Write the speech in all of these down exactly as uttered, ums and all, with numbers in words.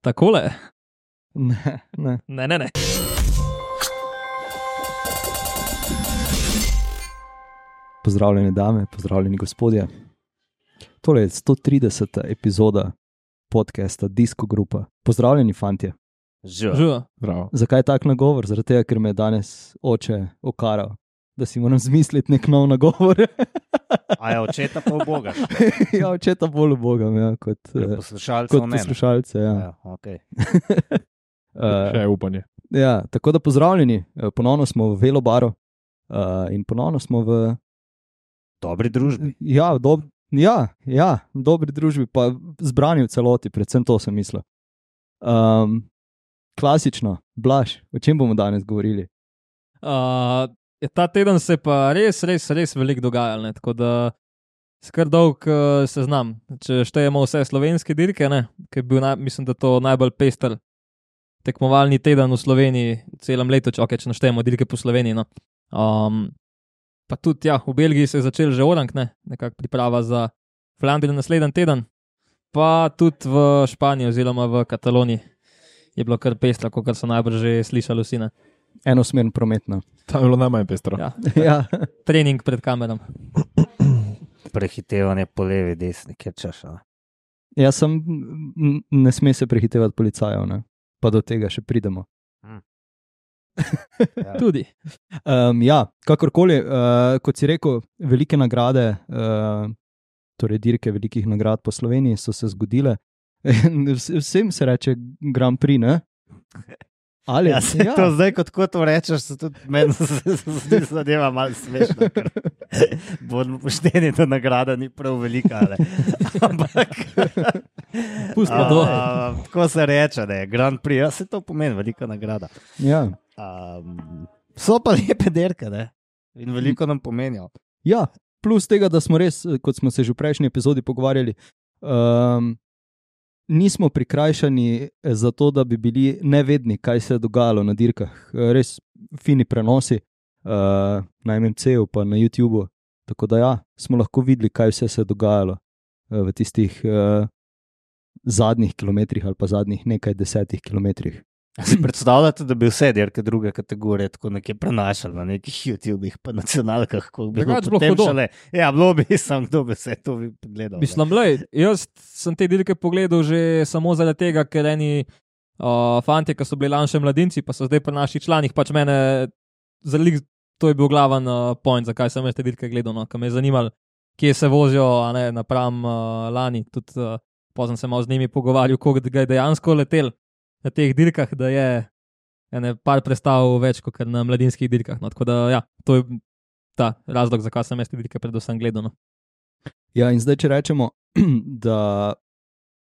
Takole? Ne, ne. Ne, ne, ne. Pozdravljeni dame, pozdravljeni gospodje. Tole je sto trideseta epizoda podcasta Disco Grupa. Pozdravljeni fantje. Živa. Zakaj tak nagovor? Zaradi tega, ker me je danes oče okaral, da si moram zmisliti nek nov nagovor. A je očeta pa v Boga? Ja, očeta bolj v Boga, ja, kot, poslušalcev kot ne. poslušalce. Ja. Ja, okay. Uh, Še je upanje. ja, tako da pozdravljeni, ponovno smo v Velobaru uh, in ponovno smo v Dobri družbi. Ja, v dob, ja, ja, v dobri družbi, pa zbrani v celoti, predvsem to sem mislil. Um, klasično, Blaž, o čem bomo danes govorili? Uh, ta teden se pa res, res, res veliko dogajalo, ne? Tako da skar dolg uh, seznam. Če štejemo vse slovenske dirke, ne? Ki je bil, na, mislim, da to najbolj pester tekmovalni teden v Sloveniji v celem letu, če, okay, če naštejemo dirke po Sloveniji. No? Um, pa tudi ja, v Belgiji se je začel že orang, ne? Nekako priprava za Flandrijo naslednji teden, pa tudi v Španiji oziroma v Kataloniji je bilo kar pestro, kot so najbrž že slišali vsi. Ne? Enosmern prometno. Tam je bilo najmanj pestro. Ja. Ja. Trening pred kamerom. Prehitevanje po levi, desni, kjer češ. Jaz sem, ne sme se prehitevati policajev, ne? Pa do tega še pridemo. Hmm. Ja. Tudi. Um, ja, kakorkoli, uh, kot si rekel, velike nagrade, uh, torej dirke velikih nagrad po Sloveniji so se zgodile. Vsem se reče Grand Prix, ne? Ali, ja, se ja. To zdaj, kot ko to rečeš, se tudi meni zadeva malo smešno, ker bodimo pošteni, da nagrada ni prav velika, ali. Ampak pustimo to. Tako se reče, ne, Grand Prix, ja, se to pomeni velika nagrada. Ja. Um, so pa lepe dirke, ne, in veliko nam pomenijo. Ja, plus tega, da smo res, kot smo se že v prejšnji epizodi pogovarjali, um, nismo prikrajšani za to, da bi bili nevedni, kaj se je dogajalo na dirkah. Res fini prenosi uh, na M M C-u pa na YouTubeu. Tako da ja, smo lahko videli, kaj vse se je dogajalo uh, v tistih uh, zadnjih kilometrih ali pa zadnjih nekaj desetih kilometrih. Si predstavljate, da bi vse dirke druge kategorije tako nekje prenašali na nekih YouTubih pa nacionalkah, ko bi bilo potem šele. Ja, bilo bi sam, kdo bi vse to bi pogledal. Mislim, lej, jaz sem te dirke pogledal že samo zaradi tega, ker eni uh, fantje, ki so bili lanše mladinci, pa so zdaj pri naših članih, pač mene, zalik, to je bil glaven uh, point, zakaj sem te dirke gledal, no, ker me je zanimalo, kje se vozijo, a ne, napram uh, lani, tudi uh, pozem se malo z njimi pogovarjal, koliko ga je dejansko letel na teh dirkah, da je ene par predstav več kot na mladinskih dirkah. No. Tako da, ja, to je ta razlog, zakaj sem jaz te dirke predvsem gledal. No. Ja, in zdaj, če rečemo, da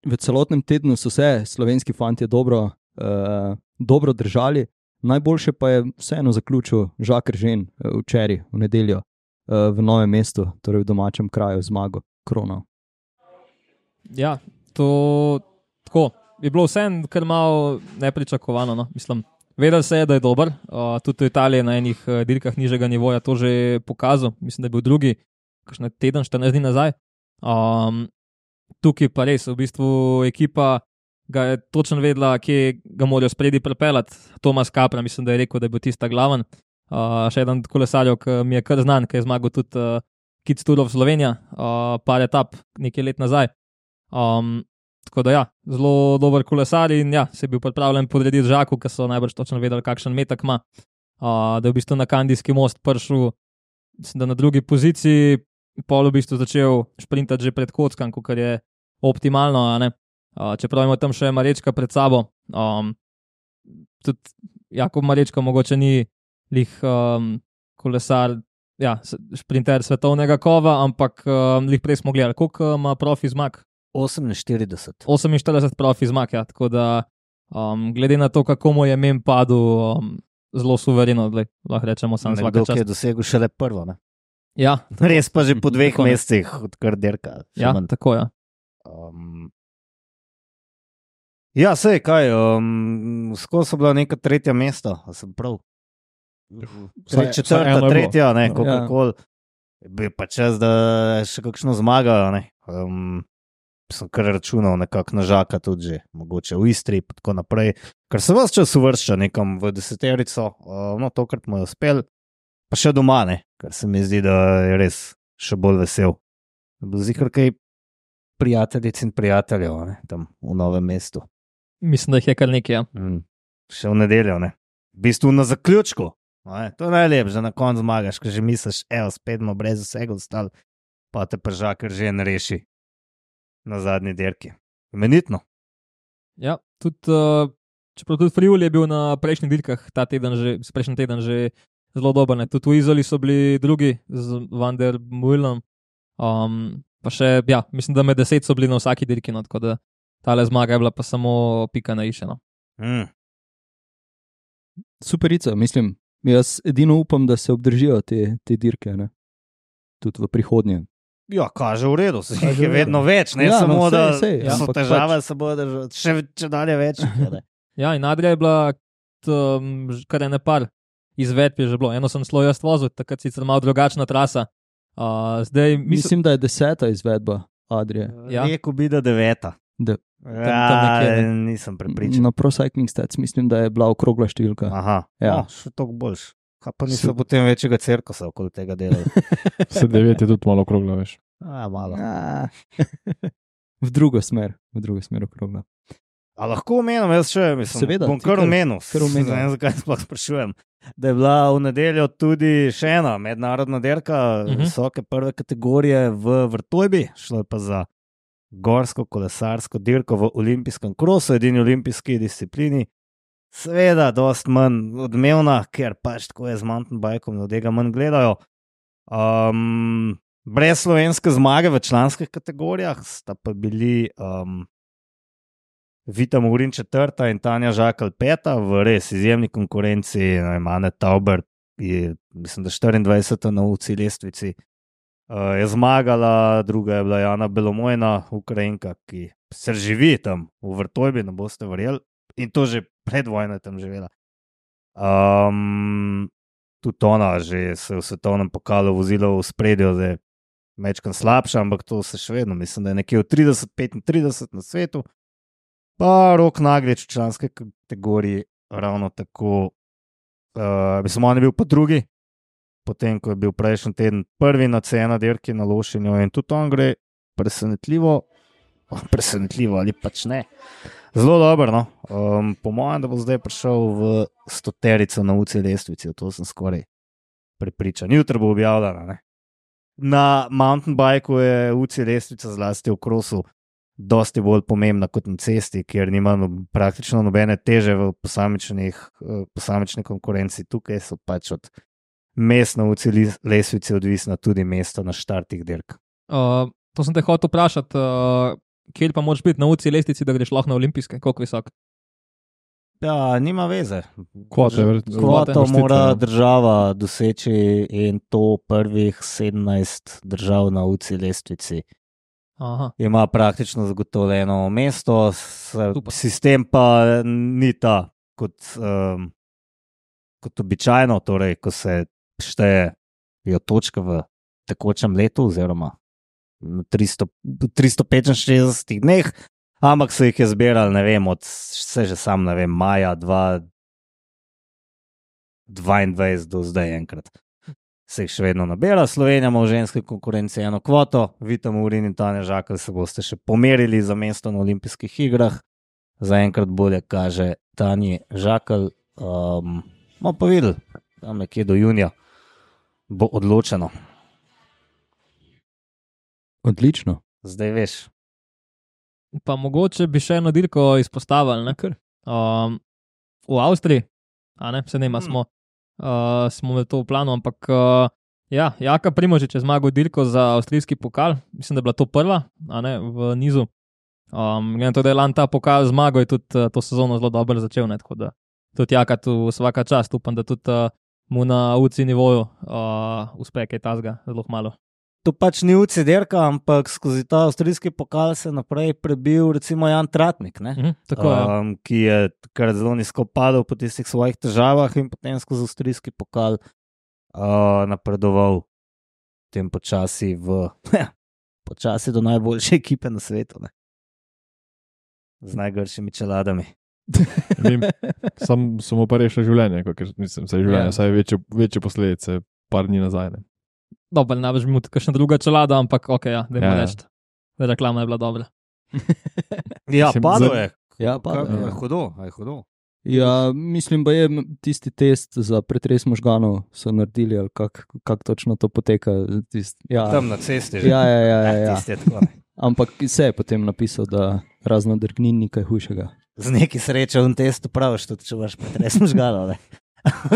v celotnem tednu so se slovenski fantje dobro, uh, dobro držali, najboljše pa je vseeno zaključil Žaker Žen uh, včeraj, v nedeljo, uh, v Novem mestu, torej v domačem kraju, zmago Kronov. Ja, to tako. Je bilo vseeno kar malo nepričakovano. No? Mislim, vedel se je, da je dober. Uh, tudi v Italiji na enih uh, dirkah nižjega nivoja to že pokazal. Mislim, da je bil drugi, kakšne teden, štirinajst dni nazaj. Um, tukaj pa res, v bistvu ekipa ga je točno vedela, kje ga morajo spredi pripeljati. Tomas Capra, mislim, da je rekel, da je bil tista glaven. Uh, še eden kolesarjev, ki mi je kar znan, ki je zmagal tudi uh, Kids Tour of Slovenija, uh, par etap nekaj let nazaj. Um, Tako da ja, zelo dober kolesar in ja, se je bil pripravljen podrediti Žaku, ki so najbrž točno vedeli, kakšen metak ima. Uh, da je v bistvu na Kandijski most prišel, da na drugi poziciji, pol v bistvu začel šprintati že pred kockan, kar je optimalno, a ne. Uh, čeprav ima tam še Marečka pred sabo. Um, tudi Jakob Marečka mogoče ni lih um, kolesar, ja, šprinter svetovnega kova, ampak um, lih prej smo gledali, koliko ima profi zmag? oseminštirideset. oseminštirideset profi zmag, ja, tako da um, glede na to, kako mu je mem padel, um, zelo suvereno, gled, lahko rečemo sam svaka čast. Nekdo, ki je dosegel šele prvo, ne? Ja. Res pa že po dveh mesecih, odkar dirka. Ja, manj. Tako, ja. Um, ja, sej, kaj, um, skozi so bila neka tretja mesta, a sem prav. Saj, četrta, tretja, ne, kakorkoli. Ja. Bi pa čas, da še kakšno zmagajo, ne. Um, sem kar računal nekako na Žaka tudi že, mogoče v Istri in tako naprej, ker se vas čas uvršča nekam v deseterico, uh, no tokrat mu je uspel, pa še doma ne, ker se mi zdi, da je res še bolj vesel. Zikr kaj prijateljic in prijateljev, ne, tam v Novem mestu. Mislim, da jih je kar nekaj, ja. Mm. Še v nedeljo, ne. V bistvu na zaključku, ne? To je najlepše, da na koncu zmagaš, ker že misliš, evo, spet smo brez vsega ostali, pa te pa Žaker že ne reši na zadnji dirki. Imenitno. Ja, tudi, uh, čeprav tudi Friul je bil na prejšnjih dirkah ta teden že, prejšnji teden že zelo dober, ne. Tudi v Izoli so bili drugi z Van der Meulenom, um, pa še, ja, mislim, da med deset so bili na vsaki dirki, no, tako da tale zmaga je bila pa samo pika na i še, no. Mm. Superica, mislim. Jaz edino upam, da se obdržijo te, te dirke, ne? Tudi v prihodnje. Ja, kaže v redu, se jih je vedno več, ne Ja, samo, no, sej, da sej, so ampak težave, pač- se bodo držati, še, še dalje več. Ne? Ja, in Adria je bila, um, kar je ne par izvedb je že bilo. Eno sem slo jaz vozil, takrat sicer malo drugačna trasa. Uh, zdaj, mislim, Mislim, da je deseta izvedba Adrije. Ja. Rekel bi, da deveta. Da. Ja, tam nekje, ne. nisem prepričan. Na Pro Cycling Stats mislim, da je bila okrogla številka. Aha, Ja. no, še toliko boljš. Kaj pa niso potem večjega cirkusa okoli tega dela? Se devet je tudi malo okrogla, veš. A, malo. Ja. V drugo smer, v drugo smer okrogla. A lahko omenim, jaz še, mislim, Seveda, bom ti kar kar- omenil. kar omenil. Ne vem, zakaj sploh sprašujem. Da je bila v nedeljo tudi še ena mednarodna dirka Mhm. visoke prve kategorije v Vrtojbi, šlo je pa za gorsko kolesarsko dirko v olimpijskem krosu, edini olimpijski disciplini. Seveda, dost manj odmevna, ker pač tako je z mountain bikom, da tega manj gledajo. Um, brez slovenske zmage v članskih kategorijah sta pa bili um, Vita Murin četrta in Tanja Žakelj peta v res izjemni konkurenci. Ane Tauber je, mislim, da štiriindvajseta na U C I lestvici. Uh, je zmagala, druga je bila Jana Belomojna, Ukrajinka, ki se živi tam v Vrtojbi, ne boste verjeli. In to že pred vojno je tam živela. Um, tudi ona že se v svetovnem pokalu vozila v spredju, zdaj mečkan slabša, ampak to se še vedno, mislim, da je nekje v trideset petintrideset na svetu. Pa Rok Naglič v članske kategoriji ravno tako, uh, mislim, on je bil pa drugi, potem, ko je bil prejšnji teden prvi na C ena dirki na Lošinju in tudi on gre presenetljivo, presenetljivo ali pač ne. Zelo dobro, no. Um, po mojem, da bo zdaj prišel v stoterico na U C I lestvici, to sem skoraj prepričan. Jutri bo objavljena, ne. Na mountain bikeu je U C I lestvica zlasti v krosu dosti bolj pomembna kot na cesti, kjer nima no, praktično nobene teže v posamičnih, posamični konkurenci. Tukaj so pač od mest na U C I lestvici odvisna tudi mesta na štartih dirk. uh, to sem te hotel vprašati, uh, kjer pa moraš biti na U C I lestvici, da greš lahko na olimpijske, koliko visok? Ja, nima veze. Kvote, vrt- Kvoto vrstice, mora ja. država doseči in to prvih sedemnajst držav na U C I lestvici. Aha. Ima praktično zagotovljeno mesto, s- Super. sistem pa ni ta kot, um, kot običajno, torej ko se štejejo točke v tekočem letu oziroma na tristo, tristo petinšestdesetih dneh, ampak so jih je zbirali, ne vem, od vse že sam, ne vem, maja dva tisoč dvaindvajset do zdaj enkrat. Se jih še vedno nabira. Slovenija ima v ženski konkurenci eno kvoto, Vita Murin in Tanja Žakelj se boste še pomerili za mesto na olimpijskih igrah. Zaenkrat bolje kaže Tanji Žakelj. Um, bomo pa videli, tam nekje do junija bo odločeno. Odlično. Zdaj veš. Pa mogoče bi še eno dirko izpostavili, ne? Um, v Avstriji, a ne, se nema, Hmm. smo, uh, smo imeli to v planu, ampak uh, ja, Jaka Primožič je zmagal dirko za avstrijski pokal, mislim, da je bila to prva, a ne, v nizu. Um, glede na to, da je lan ta pokal zmagal, je tudi uh, to sezono zelo dobro začel, ne, tako da tudi Jaka tu vsaka čast, upam, da tudi uh, mu na U C I nivoju uh, uspe kaj tazga, zelo malo. To pač ni U C I dirka, ampak skozi ta avstrijski pokal se naprej prebil recimo Jan Tratnik, ne? Mhm, tako je. um, ki je kar zelo nizko padel po tistih svojih težavah in potem skozi avstrijski pokal uh, napredoval tem počasi v počasi do najboljše ekipe na svetu. Ne? Z najgršimi čeladami. Vem, sam so mu pa rešili življenje, ker mislim, se je življenje, Ja. saj večje, večje posledice par dni nazaj. Ne. Dobro, ne veš, mu kakšna druga čelada, ampak ok, ja, dajmo Ja. reči. Da reklama je bila dobra. Ja, Mislim, padlo za- je. Ja, padlo Kaj- je. a je hudo, a je hudo. Ja, mislim, da je tisti test za pretres možganov so naredili, ali kako kak točno to poteka. Tist, ja. Tam na cesti že. Ja, ja, ja, ja, ja. Tisti je tako, ne. Ampak se je potem napisal, da razno drgnin ni kaj hujšega. Z neki srečo v testu praviš, tudi če imaš pretres možganov. ne.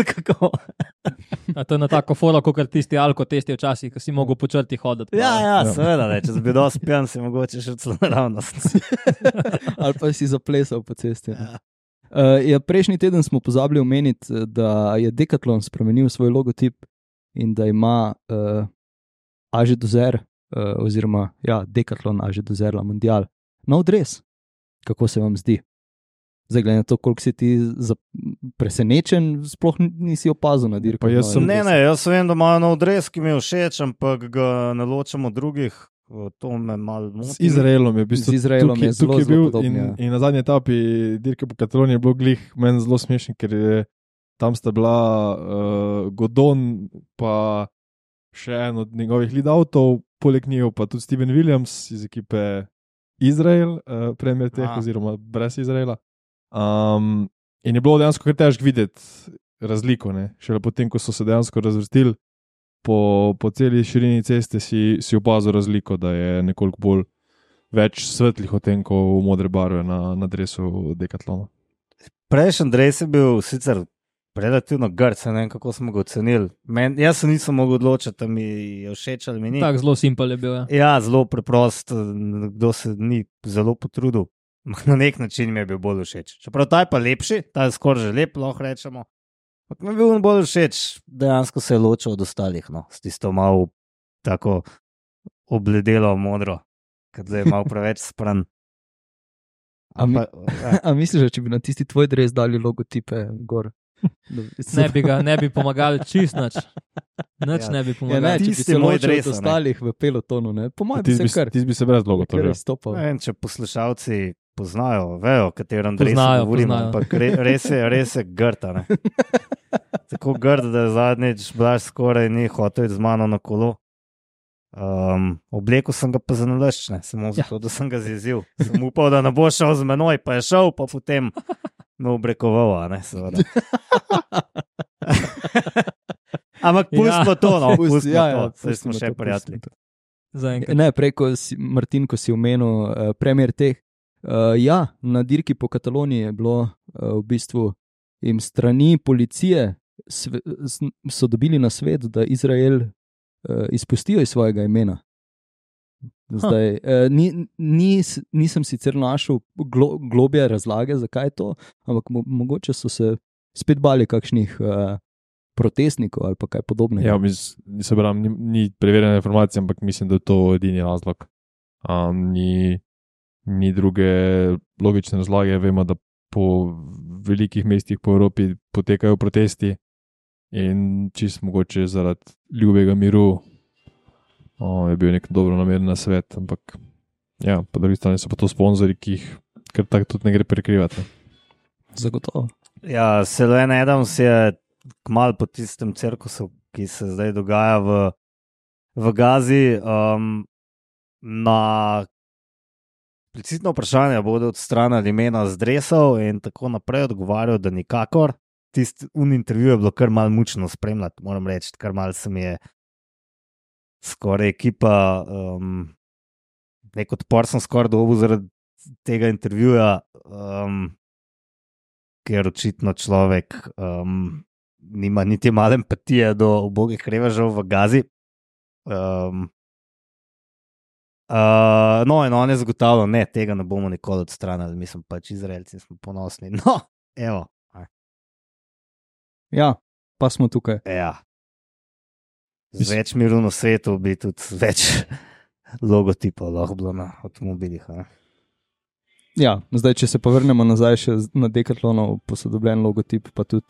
Kako? A to je na tako fora, kot tisti alko testi včasih, ko si mogel po črti hoditi. Ja, ja, Ja. seveda, ne. Če si bil dosti pijan, si mogoče še celo naravnost. Ali pa si zaplesal po cesti. Ja. Uh, ja, prejšnji teden smo pozabili omeniti, da je Decathlon spremenil svoj logotip in da ima uh, Aže Dozer, uh, oziroma ja, Decathlon Aže Dozer La Mondial, nov dres. Kako se vam zdi? Zdaj, glede na to, koliko si ti za- presenečen, sploh nisi opazil na dirku. Pa jaz sem- Ne, ne, jaz vem, da imajo nov dres, ki mi je všeč, ampak ga ne ločam od drugih. To me malo Z moti. Izraelom je, v bistvu, Z Izraelom tukaj, je zelo, tukaj zelo bil podoben, in, ja. in na zadnji etapi dirke po Kataloniji je bilo glih meni zelo smešen, ker je, tam sta bila uh, Godon pa še en od njegovih lead avtov, poleg njih pa tudi Steven Williams iz ekipe Izrael, uh, premier teh A. oziroma brez Izraela. Um, in je bilo dejansko kar težko videti razliko, ne? Šele potem, ko so se dejansko razvrstili po, po celi širini ceste, si, si opazil razliko, da je nekoliko bolj več svetlih odtenkov modre barve na, na dresu Decathlona. Prejšnji dres je bil sicer relativno grd, saj ne vem, kako smo ga ocenili. Men, jaz se nisem mogel odločiti, ali mi je všeč ali mi ni. Tako zelo simpel je bil. Ja. Ja, zelo preprost, kdo se ni zelo potrudil. Na nek način mi je bil bolj všeč. Čeprav ta je pa lepši, ta je skoraj že lep, lahko rečemo. Ampak mi je bil on bolj všeč, dejansko se je ločil od ostalih, no, s tisto malo tako obledelo modro, ker zdaj je malo preveč spran. A mi- Ampak, ja. A misliš, da če bi na tisti tvoj dres dali logotipe gor? Da bi se- Ne bi ga, ne bi pomagali čist nič. Nič Ja. ne bi Ja, ne, pomagali. če bi Tisti se moj ločil dres, od a ne. ostalih v pelotonu, ne? Po mojem Ti bi se bi, kar, tis bi se brez logo kar tožil. izstopal. Ne vem, če poslušalci poznajo, vejo, o katerem dresu Poznajo, govorimo, poznajo. ampak re, res je, res je grda. ne. Tako grd, da je zadnjič Blaž skoraj ni hotel iti z mano na kolo. Um, oblekel sem ga pa za nalašč, ne, samo zato, da sem ga zjezil. Sem upal, da ne bo šel z menoj, pa je šel, pa potem me obrekoval, a ne, seveda. Ampak pustimo to, no, Pusti- pustimo ja, ja, to, saj pustimo smo še to, prijatelji. pustimo to. Zaenkrat. Ne, prej, ko si, Martin, ko si omenil uh, premier teh. Uh, ja, na dirki po Kataloniji je bilo uh, v bistvu jim strani policije sve, s- so dobili na svet, da Izrael uh, izpustijo iz svojega imena. Zdaj, uh, ni, nis, nisem sicer našel glo, globje razlage, zakaj je to, ampak mo, mogoče so se spet bali kakšnih uh, protestnikov ali pa kaj podobnega. Ja, mis, se pravim, ni, ni preverjena informacija, ampak mislim, da je to edini razlog. Um, ni, ni druge logične razlage. Vemo, da po velikih mestih po Evropi potekajo protesti in čist mogoče zaradi ljubega miru o, je bil nek dobro nameren svet, ampak ja, po drugi strani so pa to sponzorji, ki jih kar tako tudi ne gre prekrivati. Zagotovo. Ja, Selene Adams je kmalu po tistem cirkusu, ki se zdaj dogaja v, v Gazi, um, na explicitno vprašanje bodo odstranili imena z dresov in tako naprej odgovarjal, da nikakor. Tisti un intervju je bilo kar malo mučno spremljati, moram reči, kar malo se mi je skoraj ekipa, um, nek odpor sem skoraj dobil zaradi tega intervjuja, um, ker očitno človek um, nima niti malo empatije do ubogih revežev v Gazi. Um, uh, no, in on je zagotavljal, ne, tega ne bomo nikoli odstranili, mi smo pač Izraelci, smo ponosni. No, evo. Ja, pa smo tukaj. Ja. Z več miru na svetu bi tudi več logotipov lahko bilo na avtomobilih. a ne? Ja, zdaj, če se povrnemo nazaj še z- na Decathlonov posodobljen logotip, pa tudi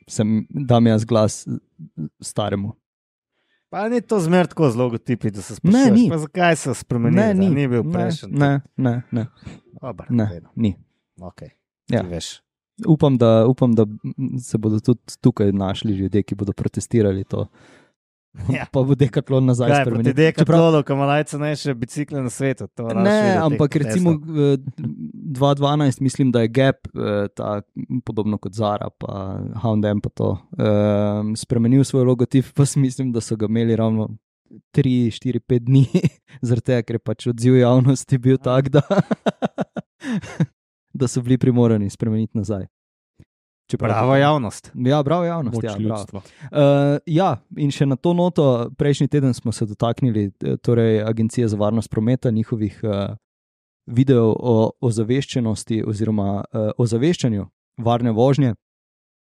sem, dam jaz glas staremu. Pa ni to zmer tako z logotipi, da se Ne, sprašuješ, ni. pa zakaj se spremenili, Ne, ni. ni bil Ne, prejšen. Ne, ne, ne, Dobar, ne, ni. okay. Ja. Ti veš. Upam da, upam, da se bodo tudi tukaj našli ljudje, ki bodo protestirali to. Ja. Pa bo Decathlon nazaj Kaj, proti spremenil. Decathlonu, ki ima najcenejše bicikle na svetu. To raš Ne, videti, ampak Tesla. recimo eh, dva tisoč dvanajst mislim, da je Gap, eh, ta, podobno kot Zara, pa H and M, pa to, eh, spremenil svoj logotip, pa si mislim, da so ga imeli ravno tri, štiri, pet dni, zaradi tega, ker je pač odziv javnosti bil tak, da, da so bili primorani spremeniti nazaj. Čeprav- Prava javnost. Ja, bravo javnost. Moč Ja, bravo. ljudstva. Uh, ja, in še na to noto, prejšnji teden smo se dotaknili eh, torej Agencije za varnost prometa, njihovih uh, videov o ozaveščenosti oziroma uh, ozaveščanju varne vožnje.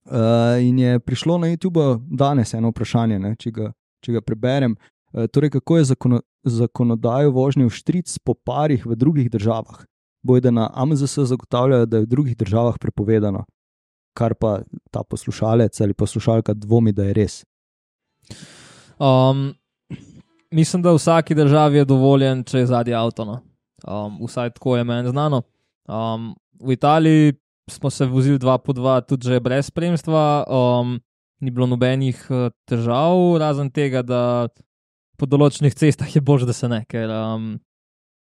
Uh, in je prišlo na YouTube danes eno vprašanje, ne, če, ga, če ga preberem. Uh, torej, kako je zakono, zakonodajo vožnje v štric po parih v drugih državah? Bojda na A M Z S zagotavljajo, da je v drugih državah prepovedano, kar pa ta poslušalec ali poslušalka dvomi, da je res. Um, mislim, da v vsaki državi je dovoljen, če je zadnji avto. No. Um, vsaj tako je meni znano. Um, v Italiji smo se vozili dva po dva, tudi že brez spremstva. Um, ni bilo nobenih uh, težav, razen tega, da po določenih cestah je bož, da se ne, ker um,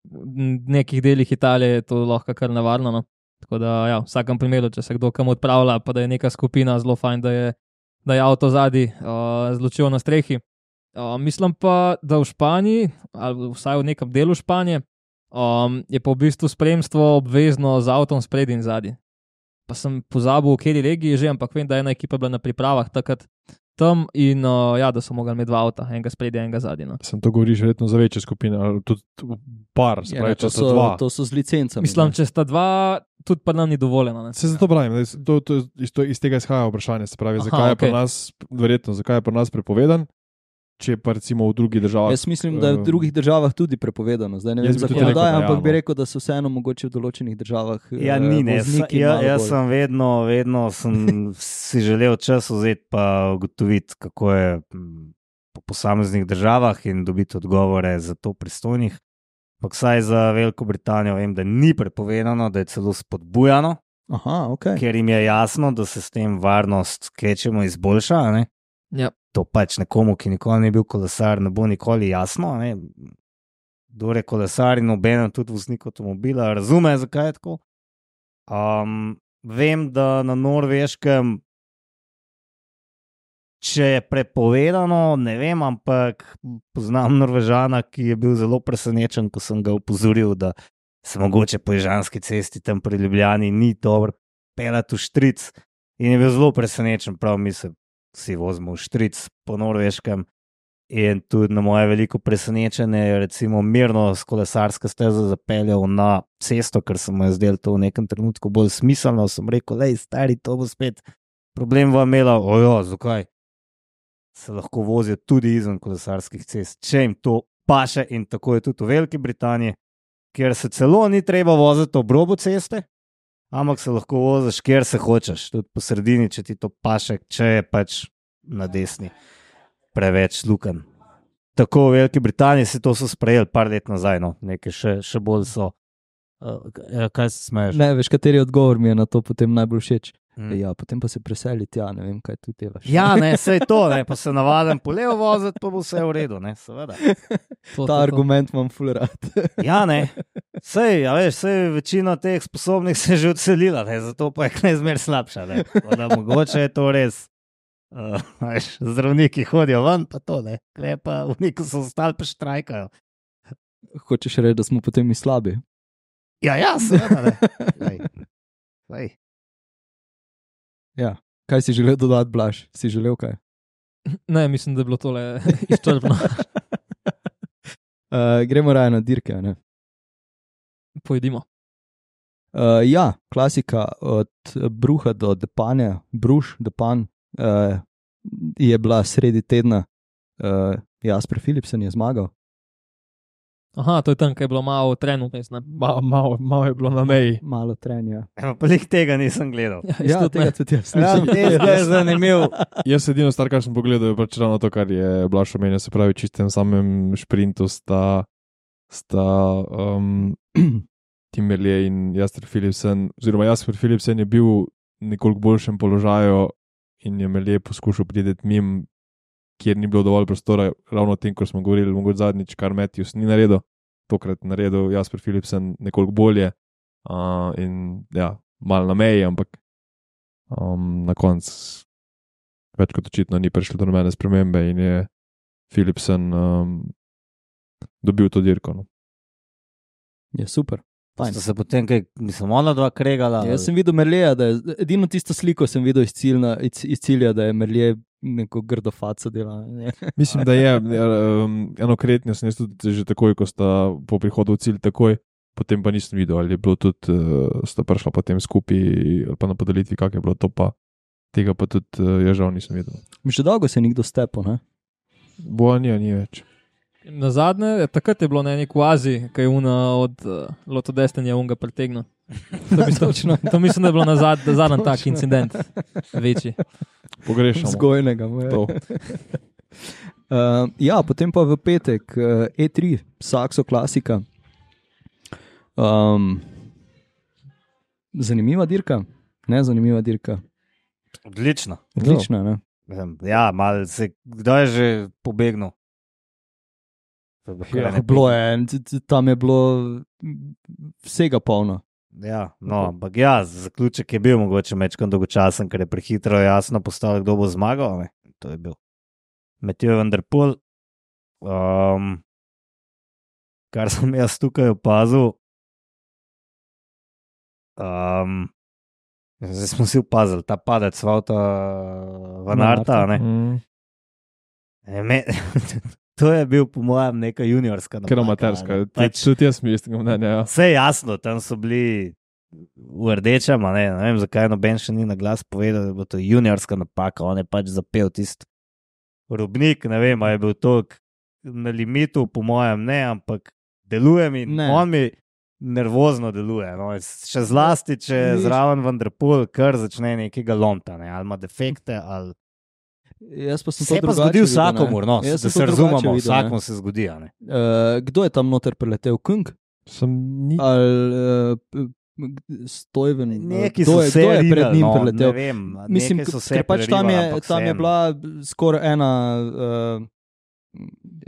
v nekih delih Italije je to lahko kar nevarno. No. Tako da, ja, v vsakem primeru, če se kdo kam odpravlja, pa da je neka skupina zelo fajn, da je, da je avto zadnji uh, zločil na strehi. Uh, mislim pa, da v Španiji, ali vsaj v nekem delu Španije, um, je pa v bistvu spremstvo obvezno z avtom spredi in zadnji. Pa sem pozabil, v kateri regiji že, ampak vem, da je ena ekipa bila na pripravah takrat tam in uh, ja, da so mogli imeti dva avta, enega spredi, enega zadnji. No. Sem to govoriš verjetno za večje skupine, ali tudi par, se Ja, pravi, ne, to, če sta so, dva. to so z licencami. Mislim, ne. če sta dva, tudi pa nam ni dovoljeno. Ne. Se zato pravim, da je- to, to, iz, to, iz tega izhaja vprašanje, se pravi, Aha, zakaj je pri okej. nas, verjetno, zakaj je pri nas prepovedan, če pa recimo v drugih državah. Jaz mislim, da je v eh, drugih državah tudi prepovedano. Zdaj ne vem Jaz bi tudi zakonodaje, rekel, da ja, ampak bi no. rekel, da so vseeno mogoče v določenih državah eh, Ja, ni, ne. Sa, vozniki ja, malo jaz bolj- sem vedno, vedno sem si želel čas vzeti pa ugotoviti, kako je mm, po posameznih državah in dobiti odgovore za to pristojnih. Ampak vsaj za Veliko Britanijo vem, da ni prepovedano, da je celo spodbujano, Aha, ok. ker jim je jasno, da se s tem varnost kvečjemu izboljša. a ne. Ja. To pač nekomu, ki nikoli ni bil kolesar, ne bo nikoli jasno. a ne. Kdor je kolesar in obenem tudi voznik avtomobila, razume, zakaj je tako. Um, vem, da na Norveškem, če je prepovedano, ne vem, ampak poznam Norvežana, ki je bil zelo presenečen, ko sem ga opozoril, da se mogoče po Ižanski cesti tam pri Ljubljani ni dobro peljati v štric. In je bil zelo presenečen, prav mi se vsi vozimo v štric po Norveškem. In tudi na moje veliko presenečenje je recimo mirno s kolesarske steze zapeljal na cesto, ker se mu je zdelo to v nekem trenutku bolj smiselno. Sem rekel, lej, stari, to bo spet problem vam imela. Ojo, zakaj? Se lahko vozijo tudi izven kolesarskih cest, če jim to paše, in tako je tudi v Veliki Britaniji, kjer se celo ni treba voziti ob robu ceste, ampak se lahko voziš, kjer se hočeš, tudi po sredini, če ti to paše, če je pač na desni preveč luken. Tako v Veliki Britaniji se to so sprejeli par let nazaj, no, nekaj še, še bolj so. Uh, kaj se smeješ? Ne, veš, kateri odgovor mi je na to potem najbolj všeč. Mm. Ja, potem pa se preseli tja, ne vem, kaj tu delaš. Ja, ne, sej to, ne, pa se navaden po levo voziti, pa bo vse v redu, ne, seveda. To, Ta argument imam ful rad. Ja, ne, sej, a veš, sej večina teh sposobnih se je že odselila, ne, zato pa je kaj zmer slabša, ne. Tako da mogoče je to res. Uh, veš, zdravniki hodijo ven, pa to, ne, kle pa v niku so ostali, pa štrajkajo. Hočeš reči, da smo potem mi slabi? Ja, ja, seveda, ne. Lej, lej. Ja. Kaj si želel dodati, Blaž? Si želel kaj? Ne, mislim, da je bilo tole izčrpno. Uh, gremo raje na dirke, ne? Pojdimo. Uh, ja, klasika od Bruha do Depanja, Bruš, Depan, uh, je bila sredi tedna. Uh, Jasper Philipsen je zmagal. Aha, to je tam, kaj je bilo malo trenutno. Malo mal, mal je bilo na meji. Malo trenja. Ja, pa lik tega nisem gledal. Ja, tega tudi jaz Ja, nisem. tega je zanimiv. Jaz edino star, kar sem pogledal, je pač ravno to, kar je Blaž omenil, se pravi, čistem samem šprintu sta, sta um, Tim Merlier in Jasper Philipsen, oziroma Jasper Philipsen je bil v nekoliko boljšem položaju in je Merlier poskušal prideti mim, kjer ni bilo dovolj prostora, ravno o tem, ko smo govorili, mogoče zadnjič, kar Matthews ni naredil, tokrat naredil Jasper Philipsen nekoliko bolje uh, in ja, malo na meji, ampak um, na koncu več kot očitno ni prišlo do nobene spremembe in je Philipsen um, dobil to dirko. No. Je super. Fajn. Sta se potem, kaj, mislim, ona dva kregala. Jaz sem videl Merlija, da je edino tisto sliko sem videl iz, ciljna, iz, iz cilja, da je Merlije neko grdo faco dela. Mislim, da je um, eno kretnje, sem jaz tudi že takoj, ko sta po prihodu v cilj takoj, potem pa nisem videl, ali je bilo tudi, uh, sta prišla potem skupaj ali pa na podelitvi, kak je bilo to pa, tega pa tudi uh, ja žal nisem videl. Že dolgo se je nikdo stepo, ne? Boja ni, ni več. Na zadnje, takrat je bilo na eni kvazi, kaj je una od uh, Loto Destiny unga pretegnil. To mislim, to mislim, da je bilo na zad, zadnji tak incident, večji. Pogrešamo. Zgojnega. To. uh, ja, potem pa v petek uh, E tri, Saxo klasika. Um, zanimiva dirka, ne zanimiva dirka. Odlično. Odlična, ne? Ja, mal se, kdo je že pobegnil? Ja, bilo je, tam je bilo vsega polno. Ja, no, ampak ja, zaključek je bil mogoče mečkam dolgočasen, ker je prehitro jasno postalo, kdo bo zmagal. Ne? To je bil Mathieu van der Poel. Um, kar sem jaz tukaj opazil, um, zdaj smo si opazili, ta padec Vauta Van Aerta, ne? Mm. Me, to je bil po mojem neka juniorska napaka. Ker amaterska, Pač, tudi jaz mi istim mnenja. Ja. vse je jasno, tam so bili v rdečem, ne, ne vem, zakaj noben še ni na glas povedal, da bo to juniorska napaka, on je pač zapel tisti robnik, ne vem, a je bil to na limitu, po mojem ne, ampak deluje mi, Ne. on mi nervozno deluje, no, še zlasti, če Viš- zraven Van der Poel kar začne nekega lomta, ne, ali ima defekte, ali Jaz pa sem se to pa drugače zgodi videl, vsakomur, no, Jaz da sem se to drugače razumemo, videl, ne. vsakom se zgodi, a ne. Uh, kdo je tam noter preletel? Kung? Sem ni... Ali uh, Stojven? Neki kdo so je, se kdo je pred rinali, njim no, preletel? ne vem, Mislim, nekaj so k- se ker pač tam je, prerivali, ampak tam je vseeno. bila skoraj ena, uh,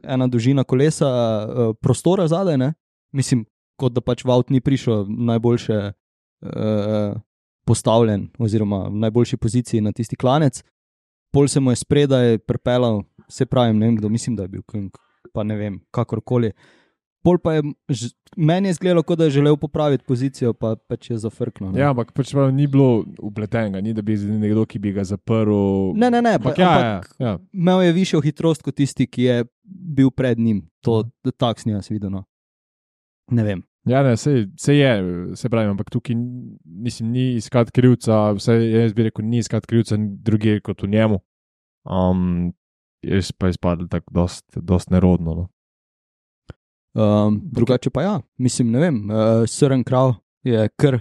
ena dolžina kolesa uh, prostora zadaj, ne? Mislim, kot da pač Vaut ni prišel najboljše uh, postavljen oziroma v najboljši poziciji na tisti klanec. Pol se mu je spredaj prepelal, se pravim, ne vem kdo, mislim, da je bil Kung, pa ne vem, kakorkoli. Pol pa je, ž- meni je izgledalo, kot da je želel popraviti pozicijo, pa pač je zafrknil. ne. Ja, ampak pač prav, ni bilo upletenega, ni da bi nekdo, ki bi ga zaprl. Ne, ne, ne, pa, Ampak ja, ampak ja, ja. imel je višjo hitrost kot tisti, ki je bil pred njim. To tak sem jaz videl. No. Ne vem. Ja, ne, se, se je, se pravi, ampak tukaj mislim, ni iskati krivca, vse jaz bi rekel, ni iskati krivca druge kot v njemu. Um, jaz pa je izpadlo tako dost, dost nerodno. No. Um, drugače pa ja, mislim, ne vem, uh, Søren Krav je kar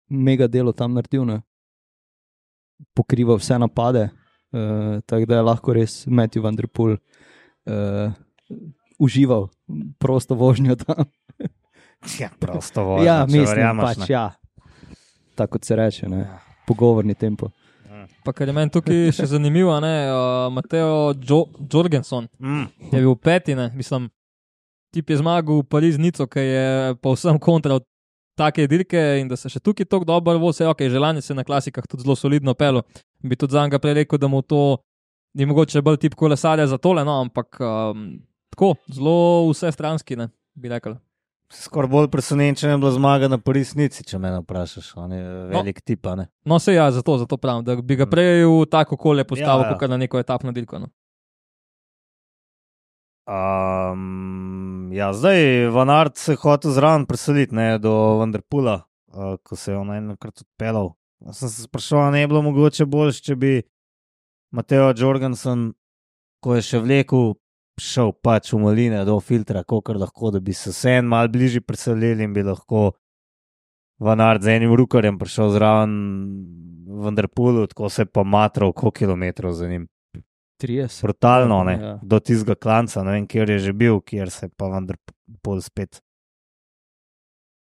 mega delo tam naredil, ne? Pokriva vse napade, uh, tako da je lahko res Matthew van der Poel uh, užival prosto vožnjo tam. Ja, prosto vožnja, Ja, če mislim, verjameš, pač ne. ja. Tako kot se reče, ne? Ja. Pogovorni tempo. Pa kar je meni tukaj še zanimivo, ne, uh, Mateo jo Jorgenson Mm. je bil peti, ne, mislim, tip je zmagal v Pariz-Nico, ki je povsem kontra od take dirke in da se še tukaj tako dobro vozi, ok, želanje se na klasikah tudi zelo solidno pelo, bi tudi za njega prej rekel, da mu to ni mogoče bolj tip kolesarja za tole, no, ampak um, tako, zelo vse stranski, ne, bi rekel. Skoraj bolj presenečen je bila zmaga na Pariz-Nici, če me vprašaš. On je velik tip, a ne. No, se ja, zato, zato pravim, da bi ga prej v tako okolje postavil, Ja, ja. kot na neko etapno dirko. No. Um, ja, zdaj Van Aert se je hotel zraven preseliti, ne, do Van der Poela, uh, ko se je on enkrat odpeljal. Jaz sem se spraševal, ne bi bilo mogoče boljše, če bi Mateo Jorgensen, ko je še vlekel šel pač v maline do filtra, kolikor lahko, da bi se vse en mal bližje preselili in bi lahko Van Aert z enim rukarjem prišel zraven v Vanderpoolu, tako se je pa matral koliko kilometrov za njim. trideset. Brutalno, ne, Ja. do tistega klanca, ne vem, kjer je že bil, kjer se je pa Vanderpool spet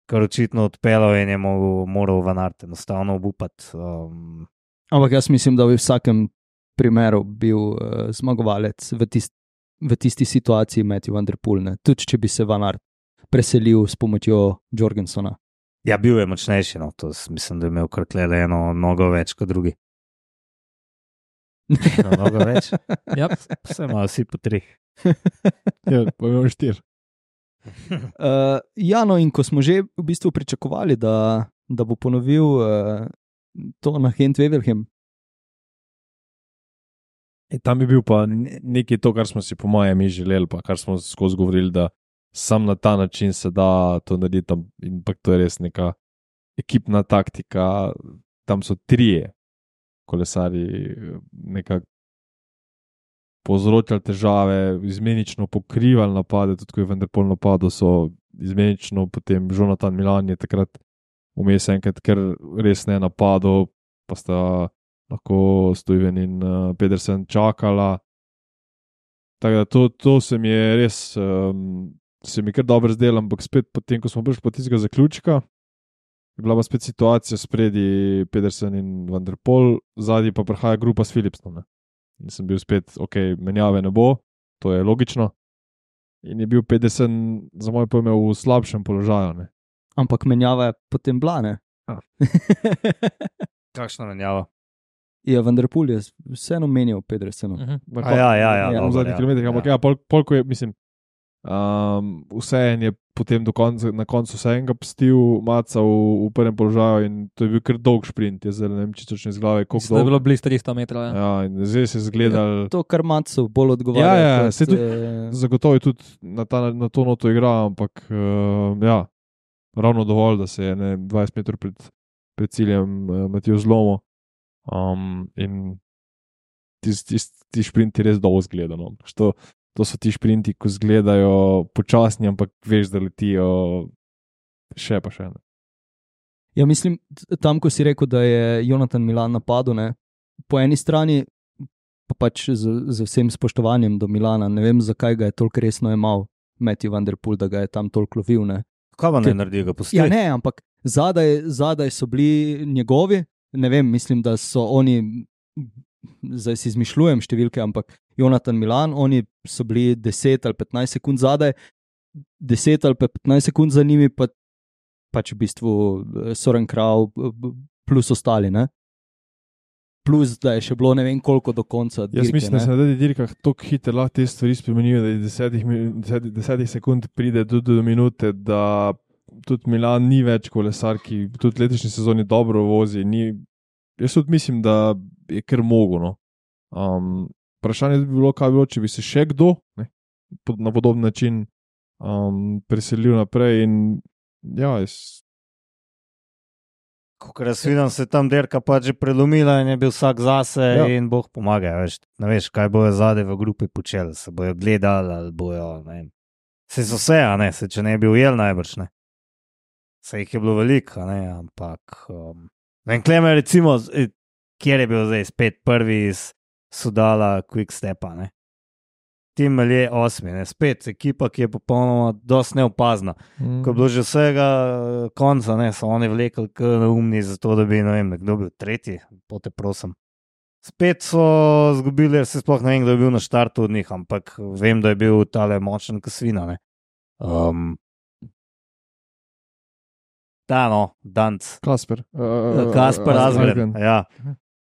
kar očitno odpeljal in je moral, moral Van Aert enostavno obupati. Um, Ampak jaz mislim, da bi v vsakem primeru bil uh, zmagovalec v, tist, v tisti situaciji Matthew Van Der Poel, ne? Tudi če bi se Van Aert preselil s pomočjo Jorgensona. ja, bil je močnejši, no, to s- mislim, da je imel kar tle eno nogo več kot drugi. Eno nogo več, Ja. vse imajo vsi po treh. Ja, pa imamo štiri. Uh, ja, no, in ko smo že v bistvu pričakovali, da, da bo ponovil uh, to na Gent-Wevelgem. E, tam je bil pa ne- nekaj to, kar smo si po mojem mi želeli, pa kar smo skozi govorili, da sam na ta način se da to narediti. tam- In pa to je res neka ekipna taktika. Tam so trije kolesari nekako povzročali težave, izmenično pokrivali napade, tudi ko je Van der Poel napadal, so izmenično potem Jonathan Milan je takrat vmes enkrat, ker res ne napadal, pa sta lahko Stuyven in uh, Pedersen čakala. Tako da to, to se mi je res, um, se mi kar dobro zdelo, ampak spet potem, ko smo prišli po tistega zaključka, je bila pa spet situacija spredi Pedersen in Van der Poel, zadnji pa prihaja grupa s Philipsom. Ne. In sem bil spet, ok, menjave ne bo, to je logično. In je bil Pedersen za moj pojem v slabšem položaju. Ne. Ampak menjava je potem bila, ne? Ja. Kakšna menjava? Ja, Van Der Poel je vseeno menjal Pedersenu. Mhm. Na A ja, ja, ja, Ja, v dobro, zadnjih ja. kilometrih, ampak Ja. ja, pol, pol, ko je, mislim, um, vse en je potem do konca, na koncu vse enega pustil, maca v, v prvem položaju in to je bil kar dolg sprint, je zdaj ne vem, čisto iz glave, koliko Mislim, da je dolg. bilo blizu tristo metrov. Ja. Ja, in zdaj se je zgledal, To, kar Macu bolj odgovarja. Ja, ja, kot, saj tudi- eh, zagotovo je tudi na, ta, na to noto igra, ampak uh, ja, ravno dovolj, da se je ne, dvajset metrov pred, pred ciljem uh, Matijo zlomo. Um, in ti, ti, ti šprinti res dolgo zgledano. To, to so ti šprinti, ko zgledajo počasni, ampak veš, da letijo še pa še. Ne. Ja, mislim, t- tam, ko si rekel, da je Jonathan Milan napadel, ne, po eni strani, pa pač z, z vsem spoštovanjem do Milana, ne vem, zakaj ga je toliko resno jemal Matthew Van Der Poel, da ga je tam toliko lovil. Ne. Kaj pa Ker- ne naredi, ga pusti? Ja, ne, ampak zadaj, zadaj so bili njegovi, ne vem, mislim, da so oni, zdaj si izmišljujem številke, ampak Jonathan Milan, oni so bili deset ali petnajst sekund zadaj, deset ali pa petnajst sekund za njimi, pa pač v bistvu eh, Soren Krav b- b- plus ostali, ne? Plus, da je še bilo ne vem koliko do konca. Jaz dirke, mislim, da ne. se na teh dirkah tako hitro lahko te stvari spremenijo, da iz desetih, mi- deset, desetih sekund pride tudi do minute, da tudi Milan ni več kolesar, ki tudi v letošnji sezoni dobro vozi. Ni, jaz tudi mislim, da je kar mogo. No. Um, vprašanje bi bilo, kaj bi bilo, če bi se še kdo ne, pod- na podoben način um, preselil naprej. In, ja, jaz, Ko jaz vidim, se je tam derka pač že prelomila in je bil vsak zase Ja. ja. in Bog pomaga. Veš, ne veš, kaj bojo zadaj v grupi počeli, se bojo gledali ali bojo. Ne vem. Se so vse, a ne, se če ne bi ujel najbrž ne. Se jih je bilo veliko, a ne, ampak. Um, ne vem, Kleme, recimo, eh, kjer je bil zdaj spet prvi iz Sudala, Quick Stepa, ne. Tim Melje osmi, ne, spet ekipa, ki je popolnoma dosti neopazna. Ko je bilo že vsega eh, konca, ne, so oni vlekli kot neumni, zato da bi, ne vem, kdo bil tretji, pote prosim. Spet so zgubili, se sploh ne vem, kdo je bil na štartu od njih, ampak vem, da je bil tale močen kasvina. Ne. Um, da, no, Danc. Kasper. Uh, Kasper Asgren. Asgren. Ja.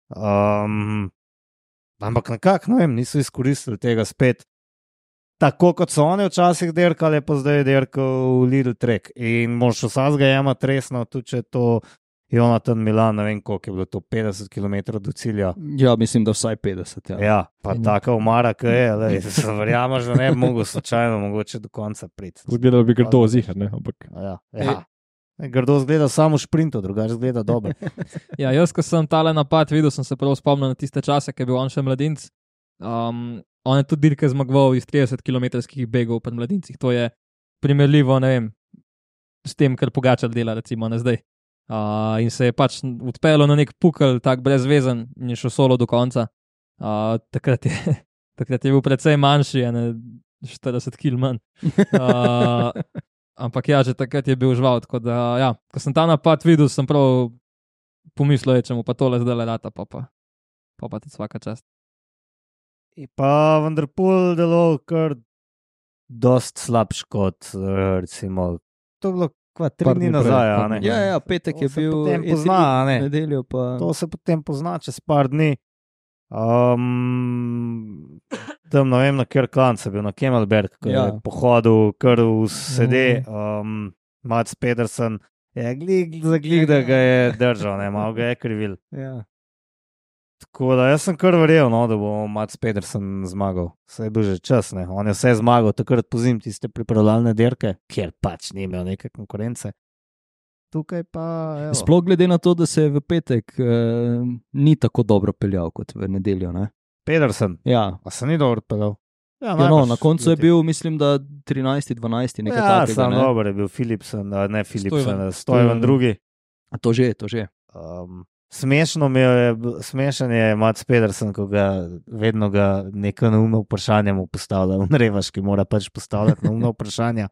Um, ampak nekako, ne vem, niso izkoristili tega spet. Tako kot so oni včasih derkali, pa zdaj je derkal v Lidl Trek. In moš vsazga jemati resno, tudi če je to Jonathan Milan, ne vem koliko je bilo to, petdeset kilometrov do cilja. Ja, mislim, da vsaj petdeset. Ja. Ja, pa taka umara, ki je, lej, se verjameš, da ne bi mogel slučajno mogoče do konca priti. Zgledalo bi grdo zihar, ne, ampak. Ja, ja. Grdo zgleda samo v šprintu, drugače zgleda dobro. Ja, jaz, ko sem tale napad videl, sem se prav spomnil na tiste čase, ki je bil on še mladinec. Um, on je tudi dirke zmagoval iz trideset kilometrskih begov pri mladincih. To je primerljivo, ne vem, s tem, kar Pogačar dela, recimo, ne zdaj. Uh, in se je pač odpeljal na nek pukel, tak brezvezen, in je šel solo do konca. Uh, takrat, je, takrat je bil precej manjši, ne štirideset kilogramov manj. Uh, ampak ja, že takrat je bil žval. Tako da, ja, ko sem ta napad videl, sem prav pomislil, če mu pa tole zdaj le rata, pa pa, pa, pa tudi vsaka čast. Je pa Van der Poel deloval kar dost slabš kot, recimo, to je bilo kva, tri Par dni dni nazaj, prej, a ne? Ja, ja, petek To je se bil, potem E tri, pozna, a ne? nedeljo pa... To se potem pozna čez par dni. Um, tam ne vem, na kjer klanc je bil, na Kemelberg, ki Ja. je pohodil kar v sede. Um, Mats Pedersen je glig, zaglig, da ga je držal, ne, malo ga je krivil. Ja. Tako da jaz sem kar verjel, no, da bo Mats Pedersen zmagal. Vse je bil že čas, ne. On je vse zmagal, takrat pozim tiste pripravljalne dirke, kjer pač ni imel neke konkurence. Tukaj pa, evo. Sploh glede na to, da se je v petek eh, ni tako dobro peljal kot v nedeljo. Ne? Pedersen, Ja. pa se ni dobro peljal. Ja, no, na koncu je bil, mislim, da trinajsti, dvanajsti, nekaj ja, takega. sam Ne? dober je bil Philipsen, a ne Philipsen, Stuyven. Stojven drugi. A to že, to že. Um, smešno mi je, smešen je Mats Pedersen, ko ga vedno ga neko neumno vprašanje mu postavlja. On revaš, ki mora pač postavljati neumno vprašanja.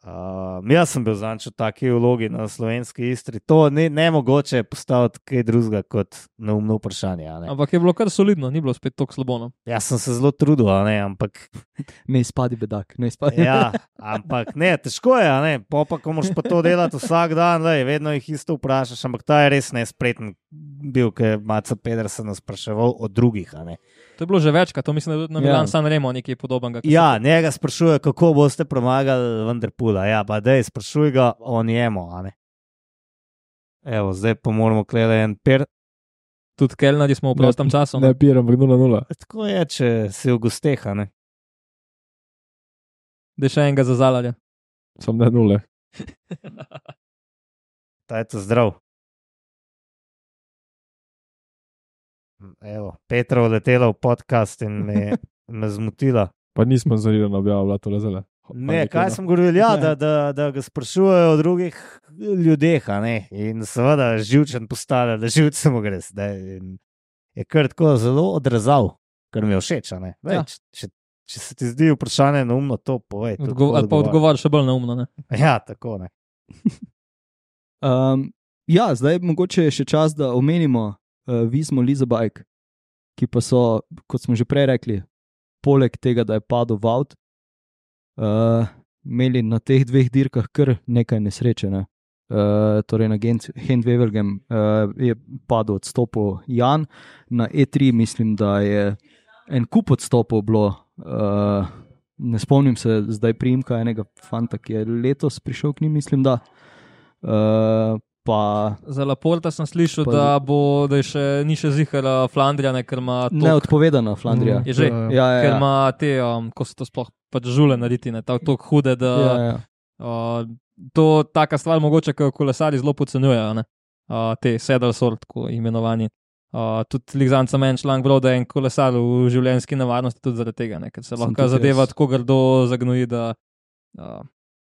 Uh, jaz sem bil zanč v taki vlogi na slovenski Istri. To ne, ne mogoče postaviti kaj drugega kot neumno vprašanje. a Ne? Ampak je bilo kar solidno, ni bilo spet tako slabo. No. Jaz sem se zelo trudil, a ne, ampak Ne izpadi bedak, ne izpadi. ja, ampak ne, težko je, a ne, po pa, ko moraš pa to delati vsak dan, lej, vedno jih isto vprašaš, ampak ta je res nespreten bil, ker je Matsa Pedersen spraševal o drugih, a ne. To je bilo že večkrat, to mislim, da je tudi na Ja. Milan San Remo nekaj podobnega. ko Ja, njega sprašuje, kako boste premagali Van der Poela, ja, pa dej, sprašuj ga o njemu, a ne. Evo, zdaj pa moramo klele en per, so Tudi kelnari smo v prostem času. Ne piram, ampak nula nula. tako je, če si v gosteh, a ne. Da je še enega za zalarja. Sam ne nule. Ta je to zdrav. Evo, Petra odletela v podcast in me, me zmotila. Pa nismo zanirano objavljali to lezele. Ne, kaj sem govoril, ja, da, da, da ga sprašujejo o drugih ljudeh, a ne. In seveda živčen postane, da živce mu gre. Da je, je kar tako zelo odrezal, kar mi je všeč, a ne. Vej, Ja. če, če, če se ti zdi vprašanje neumno, to povej. to Odgo tako ali pa odgovor še bolj neumno. Ne? Ja, tako ne. Um, ja, zdaj mogoče je še čas, da omenimo uh, Vismo Lizabajk, ki pa so, kot smo že prej rekli, poleg tega, da je padel v avt, uh, imeli na teh dveh dirkah kar nekaj nesreče. Ne? Uh, torej na Gent-Wevelgem uh, je padel odstopil Jan, na E tri mislim, da je en kup odstopov bilo. Uh, ne spomnim se zdaj priimka enega fanta, ki je letos prišel k njim, mislim, da. Uh, pa Za Laporta sem slišal, Pa- da, bo, da je še, ni še zihar Flandrija, ne, ker ima tok, neodpovedana Flandrija. Je že, Ja, Ja, ja, ker ja. ima te, um, ko se to sploh pač žule narediti, ne, tako tok hude, da Ja, ja. uh, to taka stvar mogoče, ker kolesari zelo podcenjujejo, ne, uh, te saddle sort, tako imenovani. Uh, tudi Ligzanca meni članek bral, da je en kolesar v življenjski nevarnosti tudi zaradi tega, ne, ker se Sem lahko tudi zadeva jaz. tako grdo zagnoji, da uh,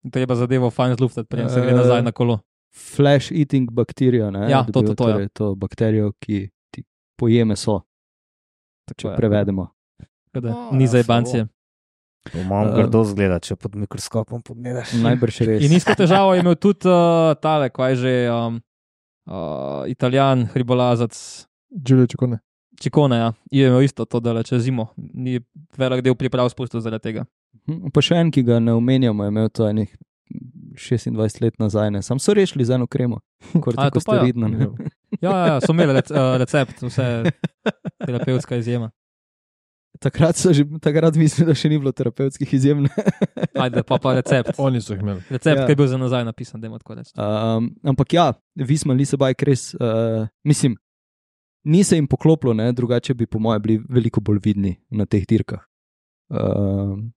treba zadevo fajn zluftati, preden se gre Eh, nazaj na kolo. Flash eating bakterijo. Ne, Ja, je to, dobil, to, to, ja. torej, to bakterijo, ki ti poje meso, če Tako je. prevedemo. Tako da O, Ni ja, za jebancije. To malo Uh, grdo zgleda, če pod mikroskopom pogledaš. Najbrž res. In isto težavo je imel tudi uh, tale, kaj že um, uh, Italijan, hribolazac, Giulio Ciccone. Čikone, ja. Je imel isto to, da le čez zimo. Ni velik del priprav spustil zaradi tega. Hm, Pa še en, ki ga ne omenjamo, je imel to enih šestindvajset let nazaj. Ne. Sam so rešili z eno kremo, A, kortiko to pa ja. steroidno. ne. Ja, ja, ja so imeli rec, uh, recept, vse terapevtska izjema. Takrat, so že, takrat mislim, da še ni bilo terapevtskih izjem. ne. Ajde, pa pa recept. Oni so jih imeli. Recept, Ja. ki je bil za nazaj napisan, da ima tako reči. Um, ampak ja, Visma Lizabajk res, uh, mislim, ni se jim poklopilo, ne, drugače bi po mojem bili veliko bolj vidni na teh dirkah. Um,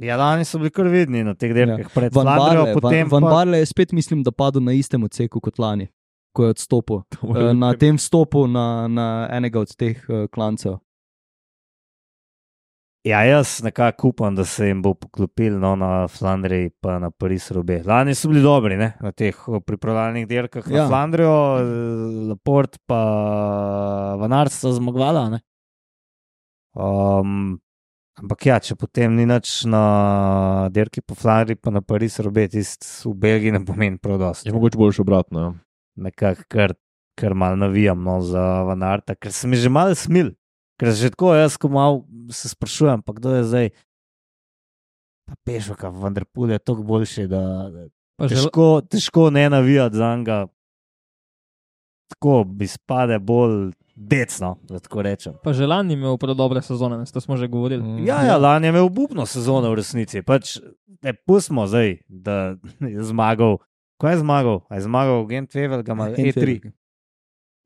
Ja, lani so bili kar vidni na teh dirkah, ja. Pred Van Flandrijo, Barle, potem Van, Van pa... Barle je spet, mislim, da padel na istem odseku kot lani, ko je odstopil. To mora Uh, biti na kar- tem stopu na, na enega od teh uh, klancev. Ja, jaz nekako upam, da se jim bo poklopil no, na Flandriji pa na Paris-Roubaix. Lani so bili dobri ne, na teh pripravljalnih dirkah ja. Na Flandrijo, Laporte pa Van Aert sta zmagovala. Ne. Um, ampak ja, če potem ni nič na dirki po Flandriji pa na Paris-Roubaix, tist v Belgiji ne pomeni prav dosti. Je mogoče boljše obratno. Ja. Nekako kar, kar malo navijam no, za Van Aerta, ker se mi že malo smil. Ker že tako jaz, ko malo se sprašujem, pa kdo je zdaj, pa Pešoka, Van der Poel je toliko boljši, da težko, težko ne navijati za njega. Tako bi spade bolj decno, da tako rečem. Pa že lani imel prav dobre sezone, ne, to smo že govorili. Mm. Ja, ja, lani je imel obupno sezono v resnici. Pač, ne, pustimo zdaj, da je zmagal. Ko je zmagal? A je zmagal Gent Wevelgem ali E tri?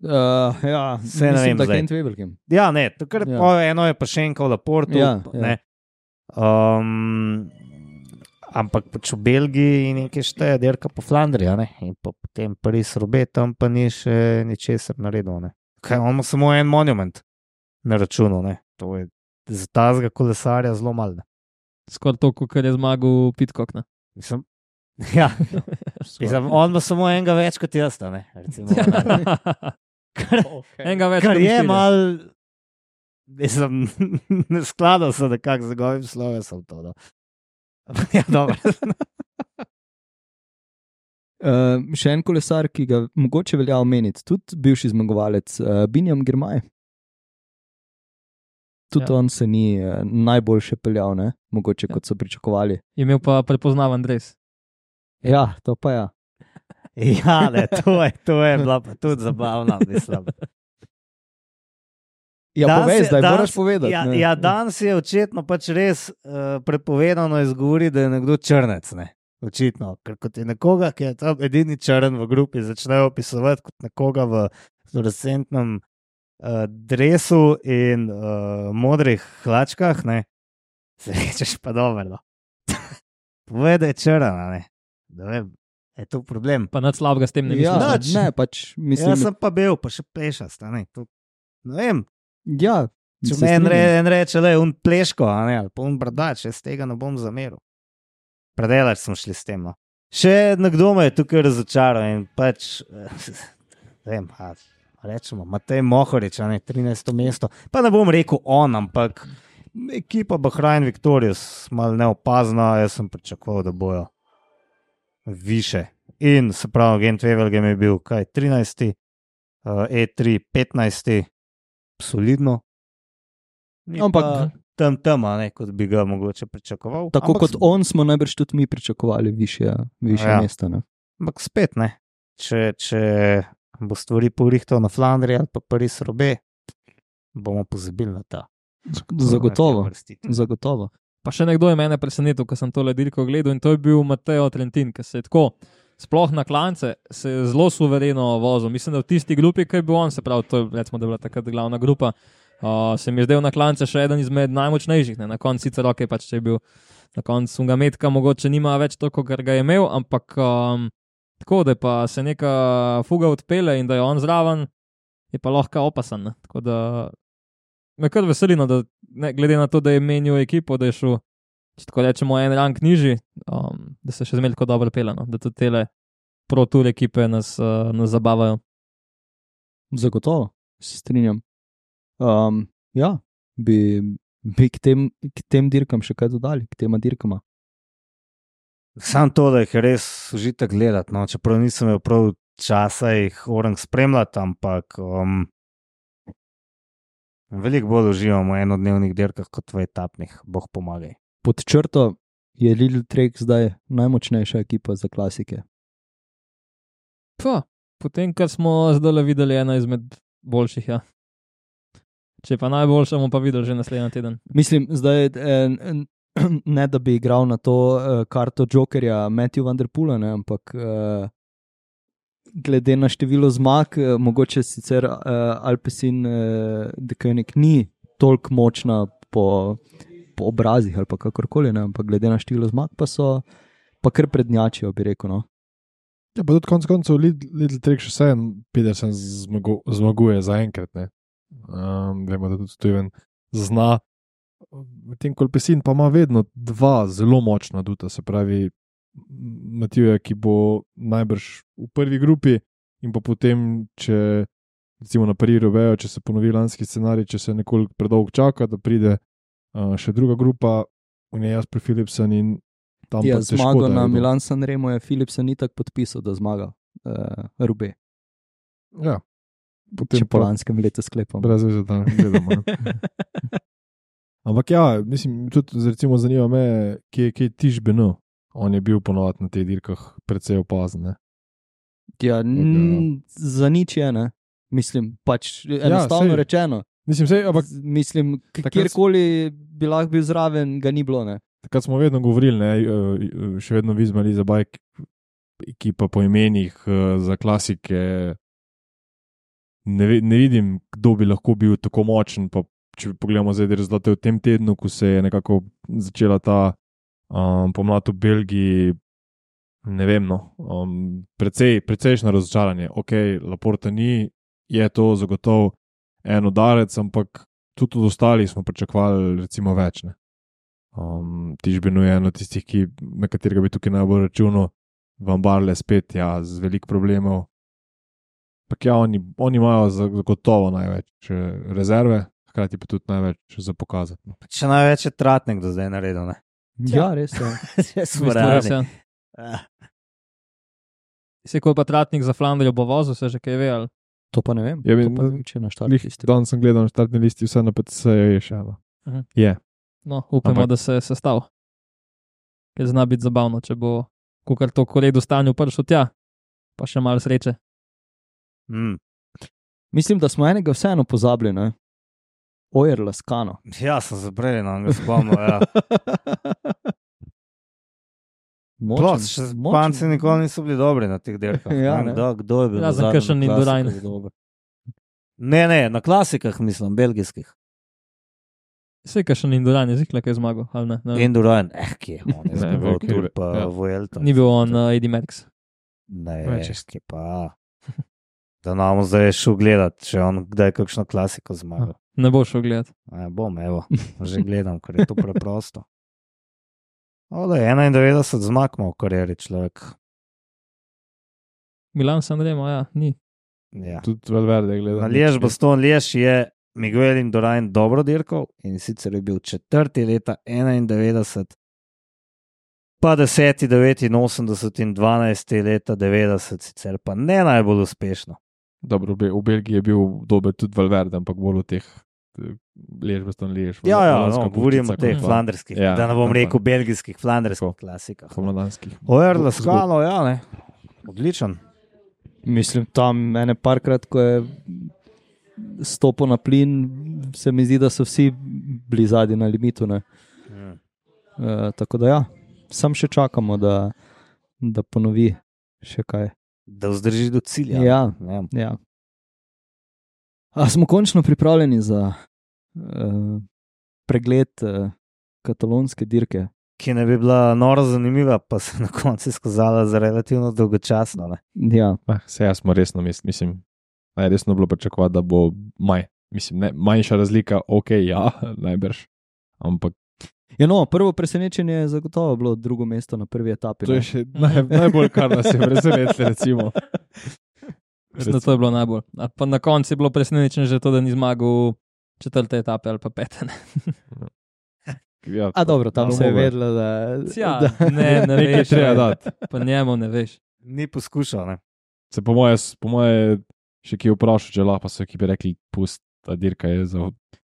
Uh, ja, se ne vem, da Gent Wevelgem. Ja, ne, takrat ja. Eno je pa še enko v Laportu. Ja, ja. Um, ampak pač v Belgiji nekaj šteje dirka po Flandriji, ne? In pa potem Paris-Roubaix, tam pa ni še ničesar naredil. Ne? Kaj, on ima samo en monument na računu, ne? To je za tazga kolesarja zelo malo. Skoraj toliko, kar je zmagal Pitcock, ne? Mislim, ja, Mislim, on ima samo enega več kot jaz, ne? Recimo, kar, okay. Enega več kar je mal, mislim, ne skladal se nekako z njegovim slovesom to, no. Ja, dobro. uh, še en kolesar, ki ga mogoče velja omeniti, tudi bivši zmagovalec, uh, Binjam Girmay. Tudi ja. On se ni uh, najboljše peljal, ne? Mogoče ja. Kot so pričakovali. Je imel pa prepoznaven dres. Ja, to pa ja. Ja, ne, to je, to je bila pa tudi zabavna, mislim. Ja, danes povej, je, zdaj danes, moraš povedati. Ja, ja, danes je očitno pač res uh, prepovedano izgovoriti, da je nekdo črnec, ne. Očitno, ker kot je nekoga, ki je tam edini črn v grupi, začnejo opisovati kot nekoga v fluorescentnem uh, dresu in uh, modrih hlačkah, ne. Se rečeš pa dobro, no. Povej, da je črna, ne. Da vem, je to problem. Pa nad slabega s tem ne mislim. Ja, ne, pač mislim. Jaz sem pa bil, pa še pešast, ne. To, ne vem. Ja. Če me en, re, en reče, le, un pleško, a ne, ali pa un brdač, jaz tega ne bom zameril. Predelač smo šli s tem, no. Še nekdo me je tukaj razočaral in pač, ne vem, a, rečemo, Matej Mohorič, a ne, trinajsto mesto. Pa ne bom rekel on, ampak ekipa Bahrain Victorious, malo neopazna, jaz sem pričakoval, da bojo više. In se pravi, Gent Wevelgem je bil kaj, trinajsti, uh, E tri, petnajsti, solidno. Ampak tam tam, ne, kot bi ga mogoče pričakoval. Tako ampak kot on smo najbrž tudi mi pričakovali više, više ja. Mesta. Ne? Ampak spet ne. Če, če bo stvari porihtal na Flandriji ali pa Paris-Roubaix, bomo pozabili na ta. Zagotovo, zagotovo. Pa še nekdo je mene presenetil, ko sem tole dirko gledal in to je bil Matteo Trentin, ki se je tako, sploh na klance, se je zelo suvereno vozil. Mislim, da v tisti grupi, ki je bil on, se pravi, to je, recimo, da je bila takrat glavna grupa, uh, se mi je zdel na klance še eden izmed najmočnejših, ne? Na koncu sicer ok, pač če je bil na koncu unga metka, mogoče nima več toliko, kar ga je imel, ampak um, tako, da je pa se neka fuga odpele in da je on zraven, je pa lahko opasan, ne? Tako da me kar veselino, da ne, glede na to, da je menil ekipo, da je šel, če tako rečemo, en rank nižji, um, da se še zmeraj tako dobro pele, no? Da tudi tele Pro Tour ekipe nas, uh, nas zabavajo. Zagotovo, se strinjam. Um, ja, bi, bi k, tem, k tem dirkam še kaj dodali, k tema dirkama. Sam to, da jih je res užitek gledati, no? Čeprav nisem imel prav časa jih orang spremljati, ampak um, veliko bolj uživamo v enodnevnih dirkah kot v etapnih, boh pomagaj. Pod črto je Lidl Trek zdaj najmočnejša ekipa za klasike. Pa, potem, kar smo zdaj videli, ena izmed boljših, ja. Če pa najboljša, bomo pa videli že naslednji teden. Mislim, zdaj eh, ne da bi igral na to eh, karto Jokerja Matthew Van der Poela, ne, ampak eh, glede na število zmag, eh, mogoče sicer eh, Alpecin eh, De Koenig ni toliko močna po, po obrazih ali pa kakorkoli, ne, ampak glede na število zmag pa so pa kar prednjačijo, bi rekel, no. Ja, pa tudi konec koncev Lidl Trek še vse Pedersen zmagu, zmaguje za enkrat, ne. Um, vemo, da tudi Steven zna Medtem ko Alpecin pa ima vedno dva zelo močna duta, se pravi Matija, ki bo najbrž v prvi grupi in pa potem, če recimo na Paris-Roubaixu, če se ponovi lanski scenarij, če se nekoliko predolgo čaka, da pride uh, še druga grupa, v njej Jasper Philipsen in tam Ja, pa težko, zmago da na je do- Milan-San Remo je Philipsen ni tako podpisal, da zmaga uh, Roubaix. Ja, potem Če po lanskem letu sklepam. brez veze, da ne gledamo. Ne? Ampak ja, mislim, tudi recimo zanima me, kje, kje je Tiš Beno. On je bil ponovadi na teh dirkah precej opazen. Ne? Ja, n- za nič je, ne. Mislim, pač enostavno sej. rečeno. Mislim, sej, ampak Z- Mislim, k- Takrat- kjerkoli bi lahko bil zraven, ga ni bilo, ne. takrat smo vedno govorili, ne, eh, še vedno Visma Liza Bike, ekipa po imenih eh, za klasike. Ne, ve- ne vidim, kdo bi lahko bil tako močen. Pa, če pogledamo zdaj rezultate v tem tednu, ko se je nekako začela ta um, pomlad v Belgiji, ne vem, no, um, precej, precejšno razočaranje. Ok, Laporta ni, je to zagotovo en udarec, ampak tudi od ostalih smo pričakovali recimo več. Ne. Um, Tižbeno je eno tistih, ki, na katerega bi tukaj najbolj računal, Van Barle spet, ja, z veliko problemov. Pak ja, oni, oni imajo zagotovo največ eh, rezerve, hkrati pa tudi največ za pokazati. No. Še največ je Tratnik do zdaj naredil. Ne? Ja, res je. Res V bistvu res, realni. ja. Ah, Se ko pa Tratnik za Flandrijo bo vozil, se že kaj ve, ali To pa ne vem. Ja, to vem, pa ne vem, če na štartu Lih, isti. danes sem gledal na štartni listi, vse na P T C-ju je še eno. Mhm. Je. no, upamo, Ampak- da se je sestav. Ker zna biti zabavno, če bo kukar to koledu stanju prišel tja, pa še malo sreče. mm. Mislim, da smo enega vseeno pozabili, ne. Ojer Laskano. Ja, sem zabrej, no, ga spomnil. Ja. Sploh, še Španci nikoli niso bili dobri na teh dirkah. Ja, Ne vem, ne. kdo, kdo je bil na Razen zadnjem kakšen na Indurain. klasikah dober. Ne, ne, na klasikah mislim, belgijskih. Vse, kar še ni Induran, je zikla, kaj je zmagal, ali ne? ne vem. Indurain, eh, kje je on, je Ne, zmagal ok, Tour pa ja. Vuelto. Ni bil on uh, Eddie Merckx. Ne, Več. kje pa. Da nam zdaj šel gledat, če on kdaj kakšno klasiko zmagal. Ne bo šel gledat. Ja, bom, evo, že gledam, ker je to preprosto. O, da je enaindevetdeset zmag ima v karieri človek. Milan San Remo, ja, ni. Ja. Tudi Valverde gleda. Na Liež, Baston, Liež je Miguel Indurain dobro dirkal in sicer je bil četrti leta enaindevetdeset, pa deseti, devetinosemdeset in dvanajsti leta devetdeset, sicer pa ne najbolj uspešno. Dobro, v Be- v Belgiji je bil dober tudi Valverde, ampak bolj v teh Liež, Baston, Liež. Ja, ja, Flamandska no, govorim o končica, teh kot pa flandrskih, Ja, da ne bom tako. rekel belgijskih, flandrskih Tako. klasikah. Pomladanskih. Ojer, Laskalo, ja, ne. Odličen. Mislim, tam ene parkrat, ko je stopil na plin, se mi zdi, da so vsi bili zadnji na limitu. Ne? Mm. E, tako da ja, sam še čakamo, da, da ponovi še kaj. Da vzdrži do cilja. Ja. Ja. Ja. A smo končno pripravljeni za uh, pregled uh, katalonske dirke? Ki ne bi bila noro zanimiva, pa se na koncu izkazala za relativno dolgočasno. Ne? Ja, Ah, se jaz smo resno mislili, mislim, najresno bilo pričakovati, da bo maj. Mislim, ne, manjša razlika, ok, ja, najbrž. Ampak ja no, prvo presenečenje je zagotovo bilo drugo mesto na prvi etapi. to ne. je še naj, najbolj, kar nas je presenetilo, recimo. Mislim, da to je bilo najbolj. A pa na koncu je bilo presenečenje že to, da ni zmagal četrte etape ali pa pete. ne. Ja, A dobro, tam no, se je mogoče. vedelo, da, Ja, da ne, ne Nekaj veš. treba ne. dati. Pa njemu ne veš. Ni poskušal. Ne? Se po moje, po moje še ki vprašal, če lahko, pa so ekipe rekli, pust, ta dirka je za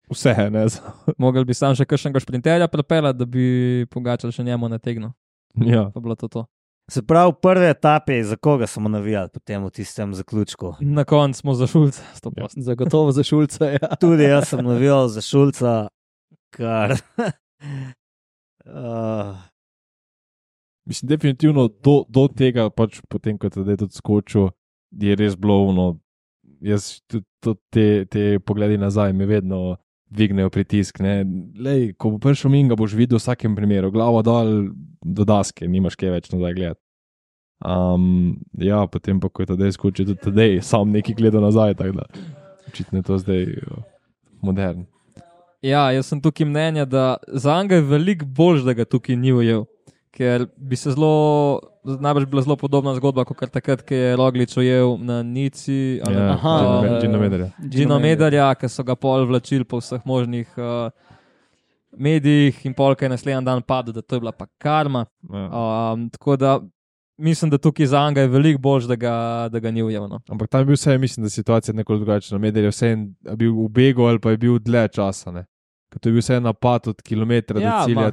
vse, ne za. Mogel bi sam še kakšnega šprinterja pripeljati, da bi Pogačar še njemu nategnil. Ja. Pa bilo to to. Se pravi, v prvi etapi, za koga smo navijali potem v tistem zaključku? Na koncu smo za Šulca, sto procentov. zagotovo za Šulca. Ja. Tudi jaz sem navijal za Šulca, kar. uh, Mislim, definitivno do, do tega, pač potem, ko je tudi tudi skočil, je res bilo ono. Jaz tudi tudi te, te pogledi nazaj me vedno dvignejo pritisk. ne. Lej, ko bo prišel min, ga boš videl v vsakem primeru, glavo dol do daske, nimaš kaj več nazaj gledati. Um, ja, potem pa, ko je tedaj skočil, tudi tedaj sam neki gledal nazaj, tako da očitno je to zdaj uh, modern. Ja, jaz sem tukaj mnenja, da za njega je veliko bolj, da ga tukaj ni ujel. Ker bi se zelo, najbrž bila zelo podobna zgodba, kot takrat, ko je Roglič ujel na Nici. Ja, Aha, Gino Mederja. Gino Mederja, ki so ga pol vlačili po vseh možnih uh, medijih in pol, ki je naslednji dan padel, da to je bila pa karma. Ja. Um, tako da mislim, da tukaj za njega je veliko bolj, da ga, da ga ni ujel. No. Ampak tam je bil vse, mislim, da situacija nekoliko drugačna. Meder je vse bil v begu ali pa je bil dlje časa. Ne? Ker to je bil vse napad od kilometra Ja, do cilja. ma.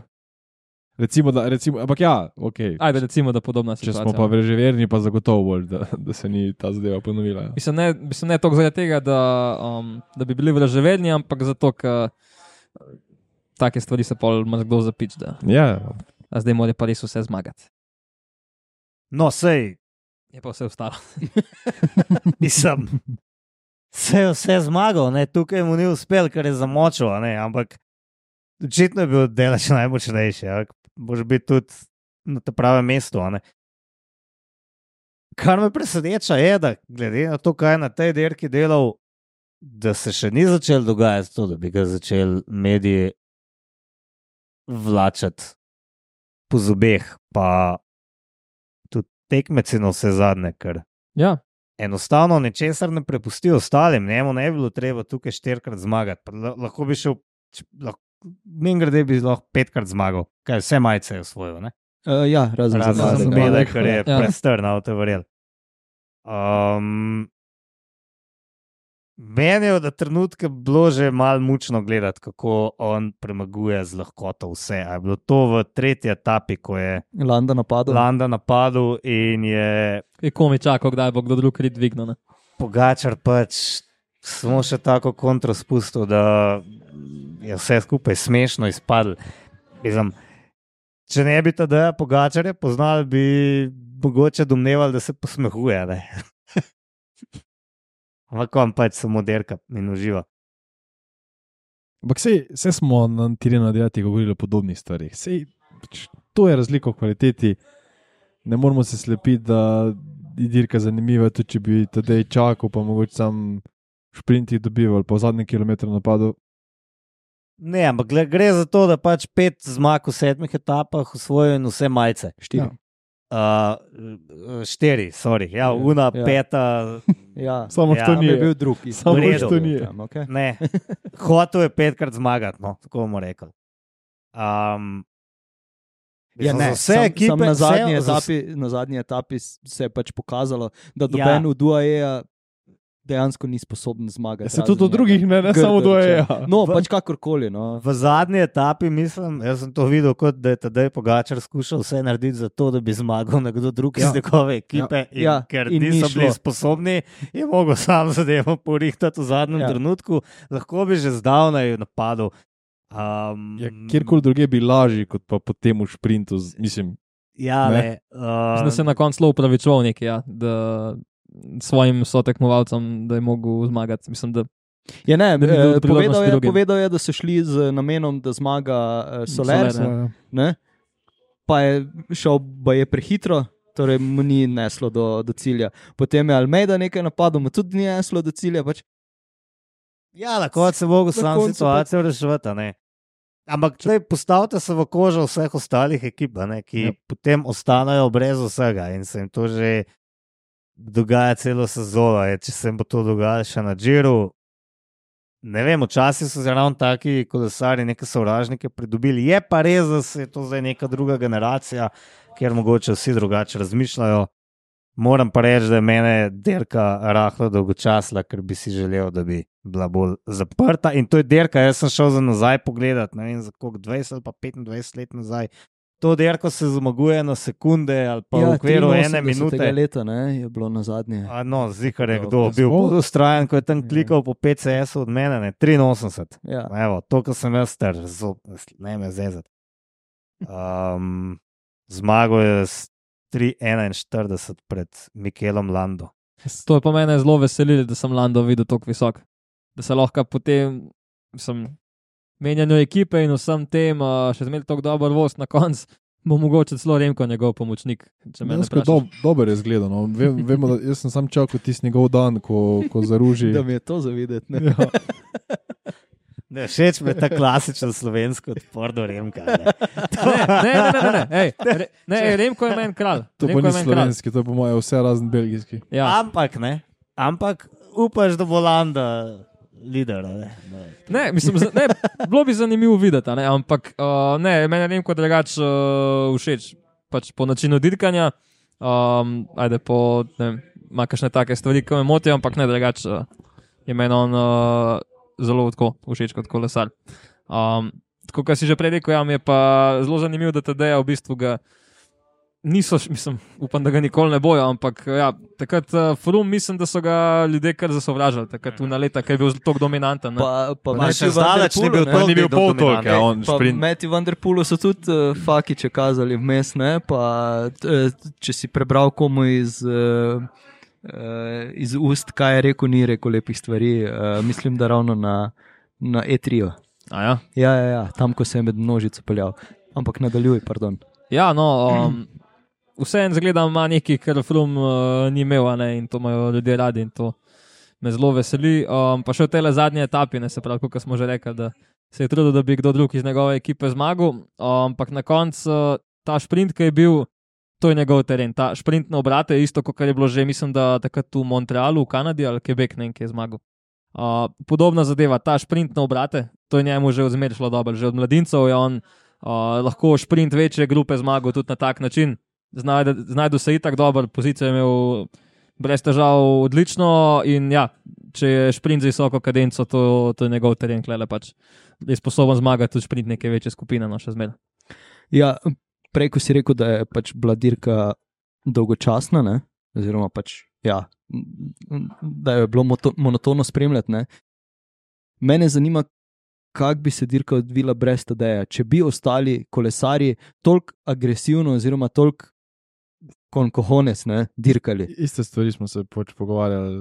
Recimo, da, recimo, ampak ja, ok. Ajde, recimo, da podobna Če situacija. smo pa no. vreževerni, pa zagotovo bolj, da, da se ni ta zadeva ponovila. Ja. Mislim, ne, mislim, ne toliko zaradi tega, da, um, da bi bili vraževerni, ampak zato, ker take stvari se pol ima kdo zapič, da Ja, a zdaj mora pa res vse zmagati. No, sej, Je pa vse ostalo. nisem. Se je vse zmagal, ne? Tukaj mu ni uspel, ker je zamočil, a ne? Ampak očitno je bil delač najmočnejši. Ja? Boš biti tudi na tem pravem mestu. a ne. Kar me preseneča je, da glede na to, kaj je na tej dirki delal, da se še ni začel dogajati to, da bi ga začel mediji vlačati po zobeh, pa tudi tekmeci na vse zadnje, ker Ja, enostavno ničesar ne prepusti ostalim, njemu ne bi bilo treba tukaj štirikrat zmagati. Pa la- Lahko bi šel, min grede bi lahko petkrat zmagal, kaj vse majice je osvojil, ne? Uh, ja, razen za Razen za zadnjega. zbele, ker je Ja. prestrn, avto verjel. Um, meni je, da trenutke bilo že malo mučno gledati, kako on premaguje z lahkoto vse. A je bilo to v tretji etapi, ko je Landa napadal. Landa napadel in je je komi čakal, kdaj bo kdo drug rit dvignil. Ne? Pogačar pač samo še tako kontro spustil, da je vse skupaj smešno izpadlo. Mislim, če ne bi tada Pogačarja poznali, bi mogoče domnevali, da se posmehuje. ne. Ampak on pač samo derka in uživa. ampak sej, sej smo na Tirena Dejati govorili o podobnih stvarih. Sej, pač, to je razlika v kvaliteti. Ne moramo se slepiti, da je dirka zanimiva, tudi če bi tedaj čakal, pa mogoče sam šprinti dobival, pa v zadnjem kilometru napadel. Ne, ampak gle- gre za to, da pač pet zmag v sedmih etapah osvojijo in vse majice. Štiri. Uh, štiri, sorry. Ja, una, Ja. peta. Ja. Samo Ja, to Tam ni. je bil drugi. Samo V redu. to ni. Tam, okay. Ne, hotel je petkrat zmagati, no, tako bomo rekli. Um, Ja, ne, vse sam, ekipe, sam na, zadnji vse, etapi, na zadnji etapi s- se je pač pokazalo, da doben v Duaeja dejansko ni sposoben zmagati. Se razen tudi od njega. drugih ne, ne samo do Grder, E če- A. No, V- pač kakorkoli. No. V zadnji etapi, mislim, jaz sem to videl, kot da je tedaj Pogačar skušal vse narediti za to, da bi zmagal nekdo drug Ja. iz njegove ekipe. In Ja, ker in ni niso šlo. bili sposobni, je mogel sam zadevo porihtati v zadnjem Ja. ja. trenutku, lahko bi že zdavnaj napadel. Um, Ja, kjerkoli druge bi lažji, kot pa po tem v šprintu. z- Mislim, Ja, ne. ne. Mislim, da Uh, se je na koncu zelo upravičoval neki, ja, da svojim sotekmovalcem, da je mogel zmagati. Mislim, da Je, ne, Da bi bil eh, priložnosti povedal, je, drugim. povedal je, da so šli z namenom, da zmaga uh, Soler, Soler, Soler ne? Pa je šel je prehitro, torej mu ni neslo do, do cilja. Potem je Almeida nekaj napadel, mu tudi ni neslo do cilja. Pač. ja, na koncu se mogel Na sam koncu situacijo reševati. a ne. Ampak tlej, postavite se v kožo vseh ostalih ekip, a ne, ki Ja. ja. potem ostanejo brez vsega in se jim to že dogaja celo sezono. Je, če se jim bo to dogajalo še na Džiru, ne vem, včasih so ravno taki kolesari neke sovražnike pridobili. Je pa res, da se je to zdaj neka druga generacija, kjer mogoče vsi drugače razmišljajo. Moram pa reči, da je mene derka rahlo dolgočasla, ker bi si želel, da bi bila bolj zaprta. In to je derka, jaz sem šel za nazaj pogledat, ne vem za koliko, dvajset ali pa petindvajset let nazaj. To derko se zmaguje na sekunde ali pa ja, v okviru ene minute. leta ne, je bilo na zadnje. A no, zihar je Ja, kdo to bil smo- bolj ustrajen, ko je tam klikal po P C S-u od mene, ne, triinosemdeset. Ja. Evo, to, kar sem jaz star, zo- ne me zezati. Um, zmagal je s tri enainštirideset pred Mikelom Lando. to je pa mene zelo veselilo, da sem Lando videl tako visok. Da se lahko potem, mislim, menjanju ekipe in vsem tem, uh, še zmeraj tako dober voz na koncu, bo mogoče celo Remko njegov pomočnik. Če me ne dejansko vprašaš. dob, dober je zgledano. No. Vem, vemo, da jaz sem sam čakal tisti njegov dan, ko, ko zaruži. Da mi je to zavideti. Ne? Ja. Ne, všeč mi je ta klasičen slovenski odpor do Remka. Ne, ne, ne, ne, ne, ne, ej, re, ne ej, Remko je meni kralj. To Remko pa je ni meni slovenski, to je po mojem vse razen belgijski. Ja. Ampak ne, ampak upaš, da bo Landa lider. Ne, ne. Ne, mislim, ne, bilo bi zanimivo videti, ne, ampak uh, ne, meni je Remko drugače uh, všeč. Pač po načinu dirkanja, um, ajde po, ne vem, ima kakšne take stvari, ki me motijo, ampak ne drugače uh, je meni on uh, zelo tako všeč kot kolesar. Um, tako, kar si že prej rekel, ja, mi je pa zelo zanimivo, da Tadeja v bistvu ga niso, mislim, upam, da ga nikoli ne bojo, ampak ja, takrat uh, Froome, mislim, da so ga ljudje kar zasovražali, takrat v leta, ker je bil tako dominanten. Ne? Pa, pa Pa še zdaleč ni bil ne? toliko Ni bil pol toliko, ja, on Pa šprint. Matthew Van Der Poelu so tudi uh, fakiče kazali vmes, ne? Pa t, če si prebral komu iz, uh, uh, iz ust, kaj je rekel, ni rekel lepih stvari, uh, mislim, da ravno na, na E tri. A ja? Ja, ja, ja, tam, ko se je med množico peljal. Ampak nadaljuj, pardon. Ja, no, um, vseeno zgleda, ima nekaj, kar Froome uh, ni imel, ne, in to imajo ljudje radi in to me zelo veseli. Um, pa še v tej zadnji etapi, ne, se pravi, kot smo že rekli, da se je trudil, da bi kdo drug iz njegove ekipe zmagal, um, ampak na koncu uh, ta šprint, ki je bil, to je njegov teren. Ta šprint na obrate je isto, kot je bilo že, mislim, da takrat v Montrealu, v Kanadi ali Quebec, ne vem, ki je zmagal. Uh, podobna zadeva, ta šprint na obrate, to je njemu že odmer šlo dobro, že od mladincev je on uh, lahko šprint večje grupe zmagal tudi na tak način. Znajdu se itak dober, pozicijo je imel brez težav odlično in ja, če je šprint z visoko kadenco, to, to je njegov teren, klele pač je sposoben zmagati tudi šprint neke večje skupine, no še zmer. Ja, prej, ko si rekel, da je pač bila dirka dolgočasna, ne? Oziroma pač, ja, da je bilo moto, monotono spremljati, ne? Mene zanima, kako bi se dirka odvila brez Tadeja, če bi ostali kolesarji toliko agresivno oziroma toliko con cojones, ne, dirkali. Iste stvari smo se pač pogovarjali.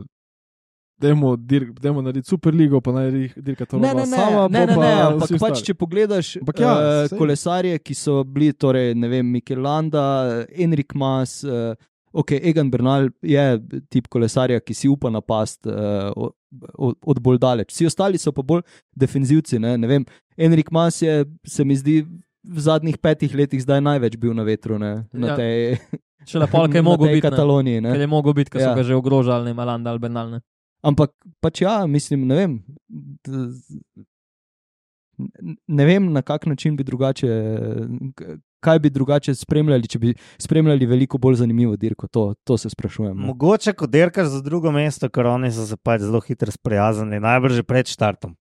Dajmo, dir, dajmo narediti super ligo, pa naj dirka to Ne, ne, ne, sama, ne, ne, pa ne, vsi ampak pač, ostali. če pogledaš Ampak ja, uh, sej. kolesarje, ki so bili, torej, ne vem, Mikel Landa, Enric Mas, uh, ok, Egan Bernal je tip kolesarja, ki si upa napast uh, od, od bolj daleč. Vsi ostali so pa bolj defenzivci, ne, ne vem, Enric Mas je, se mi zdi, v zadnjih petih letih zdaj največ bil na vetru, ne, na Ja. tej, Še lepo, ker je na mogel tej biti, ne. Kataloniji, ne. Ker je mogel biti, ker Ja. so ga že ogrožali, ne Malanda ali Bernal, ne. Ampak pač ja, mislim, ne vem, d- ne vem, na kak način bi drugače, kaj bi drugače spremljali, če bi spremljali veliko bolj zanimivo dirko, to, to se sprašujem. no. Mogoče, ko dirkaš za drugo mesto, ker oni so se pač zelo hitro sprijaznili, najbrž že pred štartom.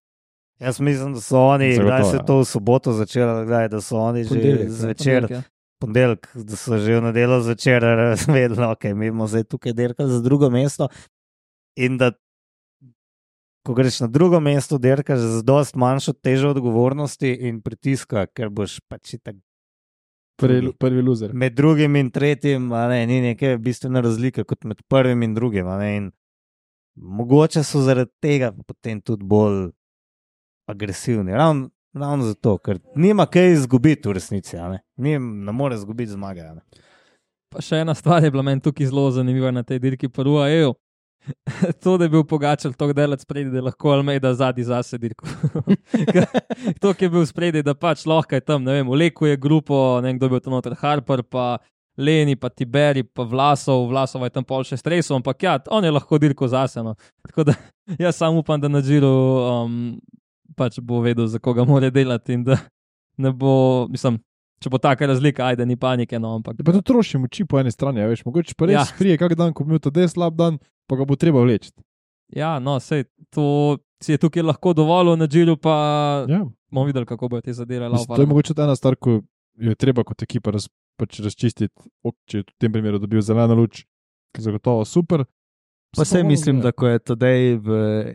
Jaz mislim, da so oni, Zagotovo, kdaj se je ja. to v soboto začelo, kdaj, da so oni že Ponedeljek, ne. zvečer, Ponedeljek, ja. ponedeljek, da so že v nedeljo zvečer razvedeli, ok, mi bomo zdaj tukaj dirkali za drugo mesto in da ko greš na drugo mesto, dirkaš z dost manjšo težo odgovornosti in pritiska, ker boš pač itak Prvi, prvi loser. med drugim in tretjim, a ne, ni neke bistvene razlike kot med prvim in drugim. a ne, in mogoče so zaradi tega potem tudi bolj agresivni. Ravno ravno zato, ker nima kaj izgubiti v resnici. a Ne, Ni, ne more izgubiti zmage. a ne. Pa še ena stvar je bila meni tukaj zelo zanimiva na tej dirki po U A E-ju. To, da je bil Pogačar tako delac spredi, da je lahko Almeida zadnji zase dirko. To, ki je bil spredi, da pač lahko je tam, ne vem, vleku je grupo, ne vem, kdo je bil tam noter, Harper, pa Leni, pa Tiberi, pa Vlasov, Vlasov je tam pol še stresov, ampak ja, on je lahko dirko zase. No. Tako da jaz sam upam, da na Giro um, pač bo vedel, za koga mora delati in da ne bo, mislim, če bo taka razlika, ajde, ni panike, no, ampak. Pa to troši moči po eni strani, a veš, mogoče pa res Ja. ja. prije kak dan, ko bi imel ta des slab dan, pa ga bo treba vleči. Ja, no, sej, to si je tukaj lahko dovolil na Giru, pa Ja. bomo videli, kako bojo te zadeve Mislim, to je mogoče tudi ena stvar, ko jo je treba kot ekipa raz, pač razčistiti, ok, če je v tem primeru dobil zeleno luč, zagotovo super. Pa sej mislim, da ko je Tadej v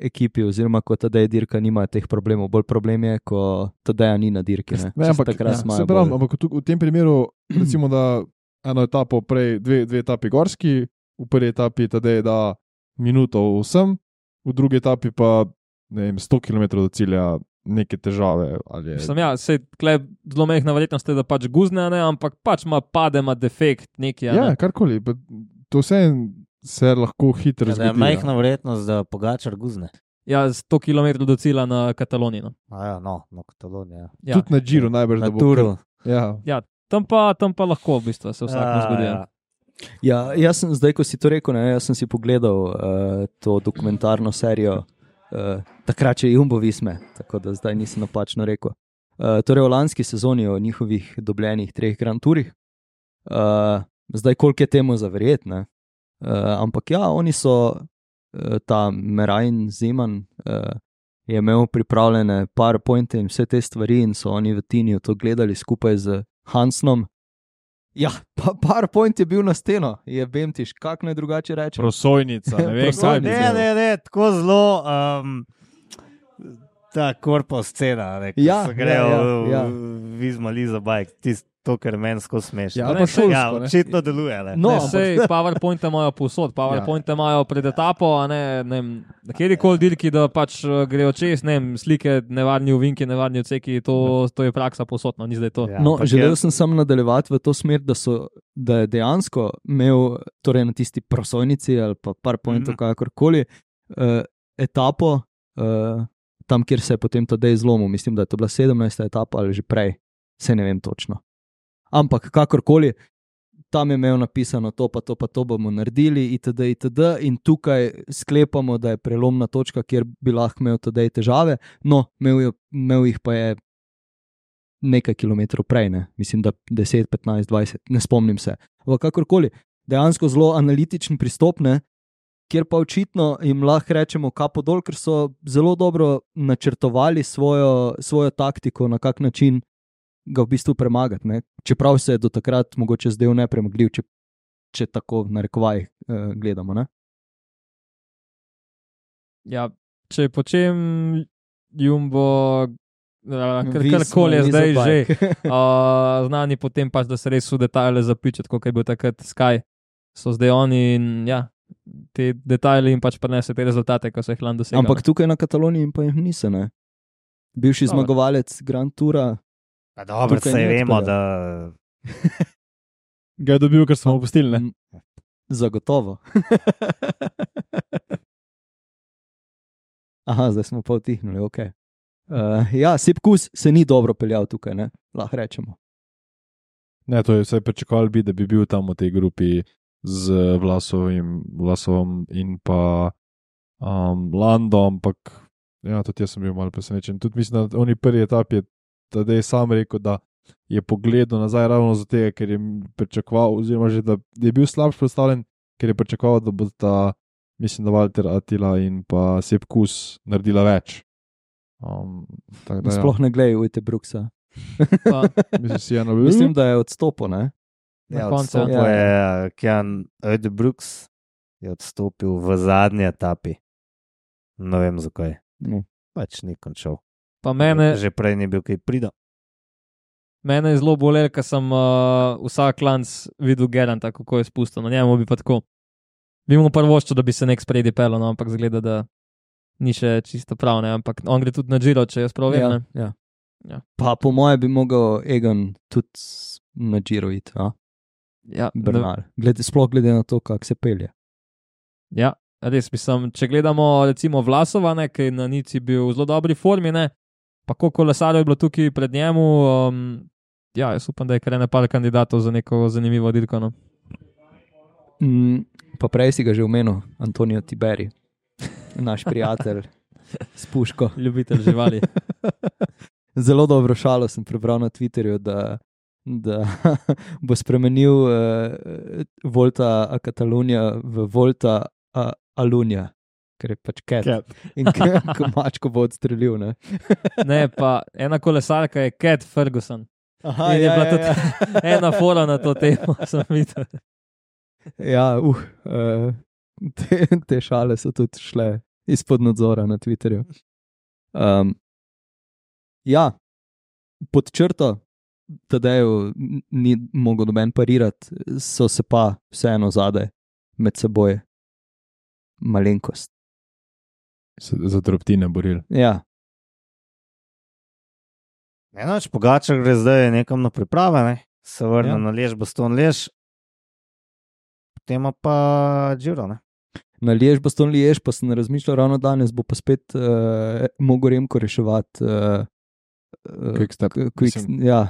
ekipi, oziroma ko Tadej dirka, nima teh problemov. Bolj problem je, ko Tadeja ni na dirki. Ne, Ne, ampak, takrat ja, imajo se pravi, bolj- ampak tu, v tem primeru, recimo, da eno etapo prej, dve, dve etapi gorski, v prvi etapi Tadej da minuto vsem, v drugi etapi pa ne vem, sto kilometrov do cilja neke težave. Ali je, Mislim, ja, sej, tle zelo mehna verjetnost je, da pač guzne, ne, ampak pač ima pade, ima defekt neki. a ja, ne. karkoli, pa to vse se lahko hitro Ja, da je zgodi. majhna verjetnost, da Pogačar guzne. Ja, sto kilometrov do cilja na Kataloniji. No. Ja, no, na Kataloniji. Ja. Ja. Tudi na Giro najbrž, Na da bo. Turu. Ja. Ja, tam pa, tam pa lahko v bistvu se vsakmu zgodi. Ja. Ja, jaz sem zdaj, ko si to rekel, ne, jaz sem si pogledal uh, to dokumentarno serijo, uh, takrat če Jumbo Visme, tako da zdaj nisem napačno rekel. Uh, torej, v lanski sezoni o njihovih dobljenih treh Grand Tourih, uh, zdaj koliko je temu zaverjeti, ne? Uh, ampak ja, oni so, uh, ta Merajn Zeman uh, je imel pripravljene PowerPointe in vse te stvari in so oni v Tiniju to gledali skupaj z Hansnom. Ja, pa PowerPoint je bil na steno, je bemtiš, kako naj drugače reče. Prosojnica, ne vem, kaj bi Prosojnica. Ne, bil. ne, ne, tako zelo um, ta korpus scena, ne, ko Ja, se grejo ja, v- ja. v Vizma Liza Bike, tisto, to, kar meni skozi smešno. Ja, Ne, pa saj- šolsko, ja, ne. očitno deluje. Ne. No, Ne, ampak- sej PowerPointe imajo povsod, PowerPointe imajo pred etapo, a ne, ne vem, na kjerikoli dirki, da pač eh, grejo čez, ne vem, slike, nevarni uvinki, nevarni odseki, to, to je praksa povsod, no, ni zdaj to. Ja, No, ampak želel je- sem samo nadaljevati v to smer, da, so, da je dejansko imel torej na tisti prosojnici ali pa PowerPointu, Mhm. kakorkoli, uh, etapo, uh, tam, kjer se je potem Tadej zlomil. Mislim, da je to bila sedemnajsta etapa ali že prej, se ne vem točno. Ampak kakorkoli, tam je imel napisano to, pa to, pa to bomo naredili, itd. itd. In tukaj sklepamo, da je prelomna točka, kjer bi lahko imel Tadej težave, no, imel, je, imel jih pa je nekaj kilometrov prej, ne? Mislim, da deset, petnajst, dvajset, ne spomnim se. Ampak kakorkoli, dejansko zelo analitičen pristop, ne? Kjer pa očitno jim lahko rečemo kapo dol, ker so zelo dobro načrtovali svojo, svojo taktiko, na kak način ga v bistvu premagati. Ne? Čeprav se je do takrat mogoče zdel nepremagljiv, če, če tako v narekovajih eh, gledamo. Ne? Ja, če po čem Jumbo, eh, kar- Visma, karkoli je zdaj Liza že, Bike. uh, znani potem pač, da se res v detajle zapičati, kot je bil takrat Sky, so zdaj oni in ja, te detajle jim pač prenese te rezultate, ko so jih lani dosegli. Ampak tukaj na Kataloniji pa jih niso. Ne? Bivši Dobro. zmagovalec Grand Toura. Pa dobro, tukaj saj ni vemo, odpeljal. da Ga je dobil, ker smo opustili, ne? Mm, Zagotovo. Aha, zdaj smo pa utihnili, ok. Uh, ja, Sepkus se ni dobro peljal tukaj, ne? Lahko rečemo. Ne, to je vse pričakovali bi, da bi bil tam v tej grupi z Vlasovim, Vlasovom in pa um, Lando, ampak ja, tudi jaz sem bil malo presenečen. Tudi mislim, da oni prvi etap je Tadej sam rekel, da je pogledal nazaj ravno zato, ker je pričakoval, oziroma že da je bil slabš predstavljen, ker je pričakoval, da bo ta, mislim, da Walter Attila in pa Sepkus naredila več. Um, tak, da, ja. Sploh ne gledaj Ujte Brooksa. Pa, Mislim, si eno Mislim, da je odstopil, ne? Na ja, koncu, odstopil ja. je Kjan Ödebrooks, je odstopil v zadnji etapi. Ne vem zakaj. No. Pač ni končal. pa mene, Že prej ni bil kaj prida. mene je zelo bolelo, ker sem uh, vsak lanc videl Geranta, kako je spustil. Na njemu bi pa tako. Bi mu prvoščil, da bi se nek spredi pel, no, ampak zgleda, da ni še čisto prav. Ne? Ampak on gre tudi na Giro, če jaz prav vem. Ja, ne. ja. Ja. Pa po moje bi mogel Egan tudi na Giro iti, a? Ja, ne, Bernal. Glede, sploh glede na to, kako se pelje. ja, res mislim, če gledamo recimo Vlasova, ne, ki je na Nici bil v zelo dobri formi, ne, pa koliko kolesarjev je bilo tukaj pred njemu, um, ja, jaz upam, da je kar ene par kandidatov za neko zanimivo dirko. No. Mm, pa prej si ga že omenil, Antonijo Tiberi, naš prijatelj s puško. Ljubitelj živali. Zelo dobro šalo sem prebral na Twitterju, da, da bo spremenil uh, Volta a Catalunya v Volta a Alunja, ker je pač cat. Cat. In ko mačko bo odstrelil. Ne? Ne, pa ena kolesarka je Cat Ferguson. Aha, In je bila tudi ena fora na to temo, sem videl. Ja, uh, uh, te, te šale so tudi šle izpod nadzora na Twitterju. Um, ja, pod črto, Tadeju ni mogel noben parirati, so se pa vseeno zadaj med seboj malenkost. Se za drobtine borili. Ja, Enoč, Pogačar gre zdaj nekam na priprave, ne? Se vrne Ja. ja. na Lež, Baston Lež, potem ima pa Giro, ne? naliješ baston liješ, pa sem razmišljal ravno danes, bo pa spet uh, mogel Remko reševati. Uh, Quickstep. Quick, ja,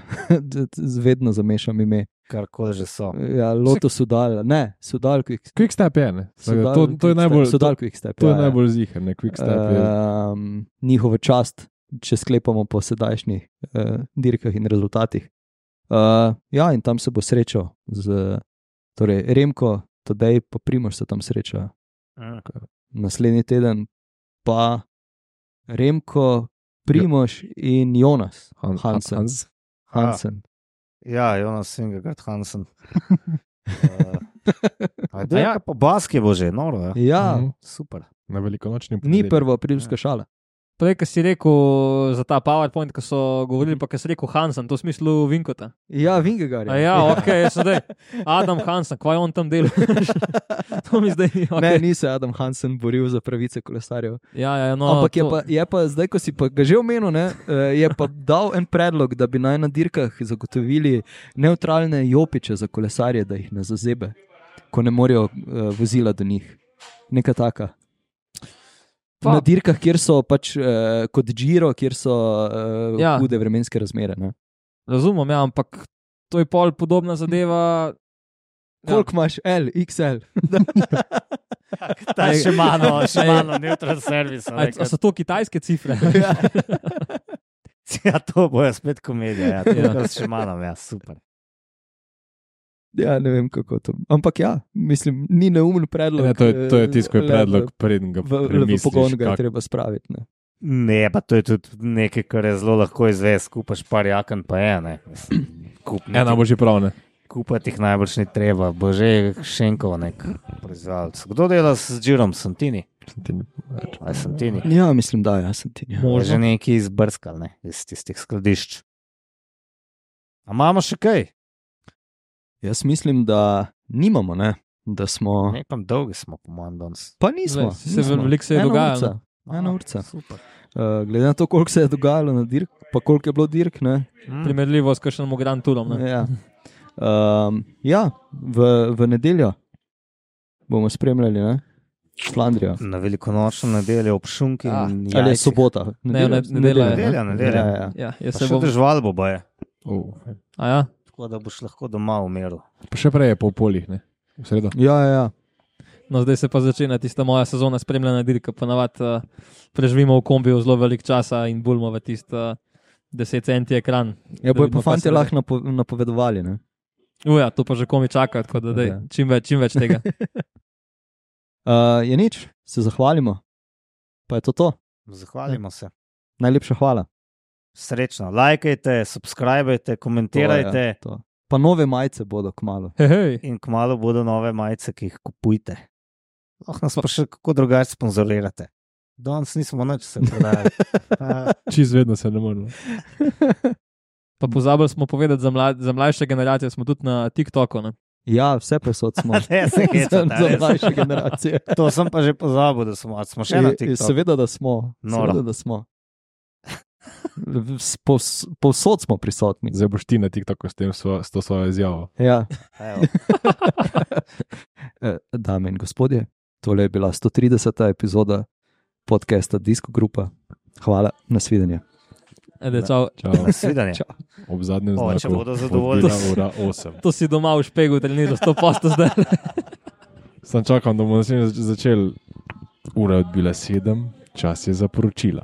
vedno zamešam ime. Karkoli že so. Ja, Loto Sudal, ne, Sudal Quickstep. Quickstep je, ne. Sudal, To, to je najbolj, Sudal to, Quickstep, to je ja, ja. najbolj ziher, ne. Quickstep je. Um, njihova čast, če sklepamo po sedajšnjih uh, dirkah in rezultatih. Uh, ja, in tam se bo srečal z, torej Remko, Tadej pa Primož se tam sreča. Mm. Naslednji teden pa Remko, Primož in Jonas Han- Hansen. Hans. Hansen. Ja, Jonas Vingegaard Hansen. uh, Ajde, ja, pa baski bo že, noro, ja. Ja, Mhm. Super. Na velikonočni ni ponedeljek. prva aprilska šala. Prej, ko si rekel za ta PowerPoint, ko so govorili, pa ko si rekel Hansen, to v smislu Vinkota. Ja, Vingegaard. A ja, ok, jaz sedaj. Adam Hansen, kaj on tam dela? To mi zdaj ni. Ne, Okay. ni se Adam Hansen boril za pravice kolesarjev. Ja, ja, no, Ampak je to- pa, je pa zdaj, ko si pa ga že omenil, ne, eh, je pa dal en predlog, da bi naj na dirkah zagotovili nevtralne jopiče za kolesarje, da jih ne zazebe, ko ne morejo uh, vozila do njih. Neka taka. Pa- Na dirkah, kjer so pač uh, kot Giro, kjer so uh, Ja. hude vremenske razmere. Ne. Razumem, ja, ampak to je pol podobna zadeva. Koliko imaš L, X L? Ta je še malo, še malo neutral servis. A, a so to kitajske cifre? Ja, to bo spet komedija. Ja, to Ja. je še malo, ja, super. Ja, ne vem kako to. Ampak ja, mislim, ni neumen predlog. Ne, to je, to je tisto, ko je le predlog, v- preden ga V, v premisliš. pogon ga je kak- treba spraviti. Ne. Ne, pa to je tudi nekaj, kar je zelo lahko izvesti, kupaš par jaken, pa je ne. Mislim, Kup Ena nekaj- bo že prav, ne. Kupati jih najbrž ni treba, bo že Šenkov nek proizvajalec. Kdo dela s Girom? Santini? Aj Santini. Ja, mislim, da ja, sem ti. Ja. Je že neki izbrskal, ne, iz tistih skladišč. A imamo še kaj? Jaz mislim, da nimamo, ne? Da smo. Ne, pa dolgi smo, po mojem, danes. Pa nismo. Se nismo. veliko se je Ena dogajalo. urca. Ena urca. Super. Uh, glede na to, koliko se je dogajalo na dirk, pa koliko je bilo dirk. Ne? Mm. Primerljivo s kakšnim Grand Tourom. Ne? Ja, um, ja v, v nedeljo bomo spremljali ne? Flandrijo. Na velikonočno nedeljo ob šunki. Ah, in Ali je jajcih. sobota? Ne, ne, nedelja je, Nedelja, nedelja. Ja, ja. Ja, jaz Pa se še bom. držal bo boje. Oh. A ja? Tako da boš lahko doma umiril. Pa še prej je po polih, ne. V sredo. Ja, ja, ja. No, zdaj se pa začne tista moja sezona spremljanja dirka. Ponavadi uh, preživimo v kombiju zelo velik časa in bulmo v tisti uh, deset centi ekran. Ja, Da bojo vidimo, pa kaj se fanti lahko napo, napovedovali. Ne? Uja, to pa že komi čaka, tako da dej, Ja. čim več, čim več tega. Uh, je nič, se zahvalimo. Pa je to to. Zahvalimo se. Najlepša hvala. Srečno. Lajkajte, subskrbajte, komentirajte. To, ja, to. Pa nove majice bodo kmalo. Hej, hej. In kmalo bodo nove majice, ki jih kupujte. Lahko nas pa še kako drugače sponzorirate. Danes nismo nič se prodajali. A, Čez vedno se ne moremo. Pa pozabili smo povedati za, mlad, za mlajše generacije, smo tudi na TikToku. Ne? Ja, vse posod smo. Ne, se za, hecate, za res. mlajše generacije. To sem pa že pozabil, da smo, a smo še na Je- je- TikToku. Seveda, da smo. Noro. Seveda, da smo. S- pos- Povsod smo prisotni. Zdaj boš ti na TikToku s, tem, svo, s to svojo izjavo. Ja. Evo. Eh, Dame in gospodje, tole je bila sto trideseta epizoda podcasta Disco Grupa. Hvala, nasvidenje. Ede, čau. Čau. Nasvidenje. Čau. Ob zadnjem O, znaku. če bodo zadovoljni. odbila ura osem. To si doma v špegu treniral, sto posto zdaj. Sam čakam, da bomo naslednjič začeli. Ura je odbila sedem, čas je za poročila.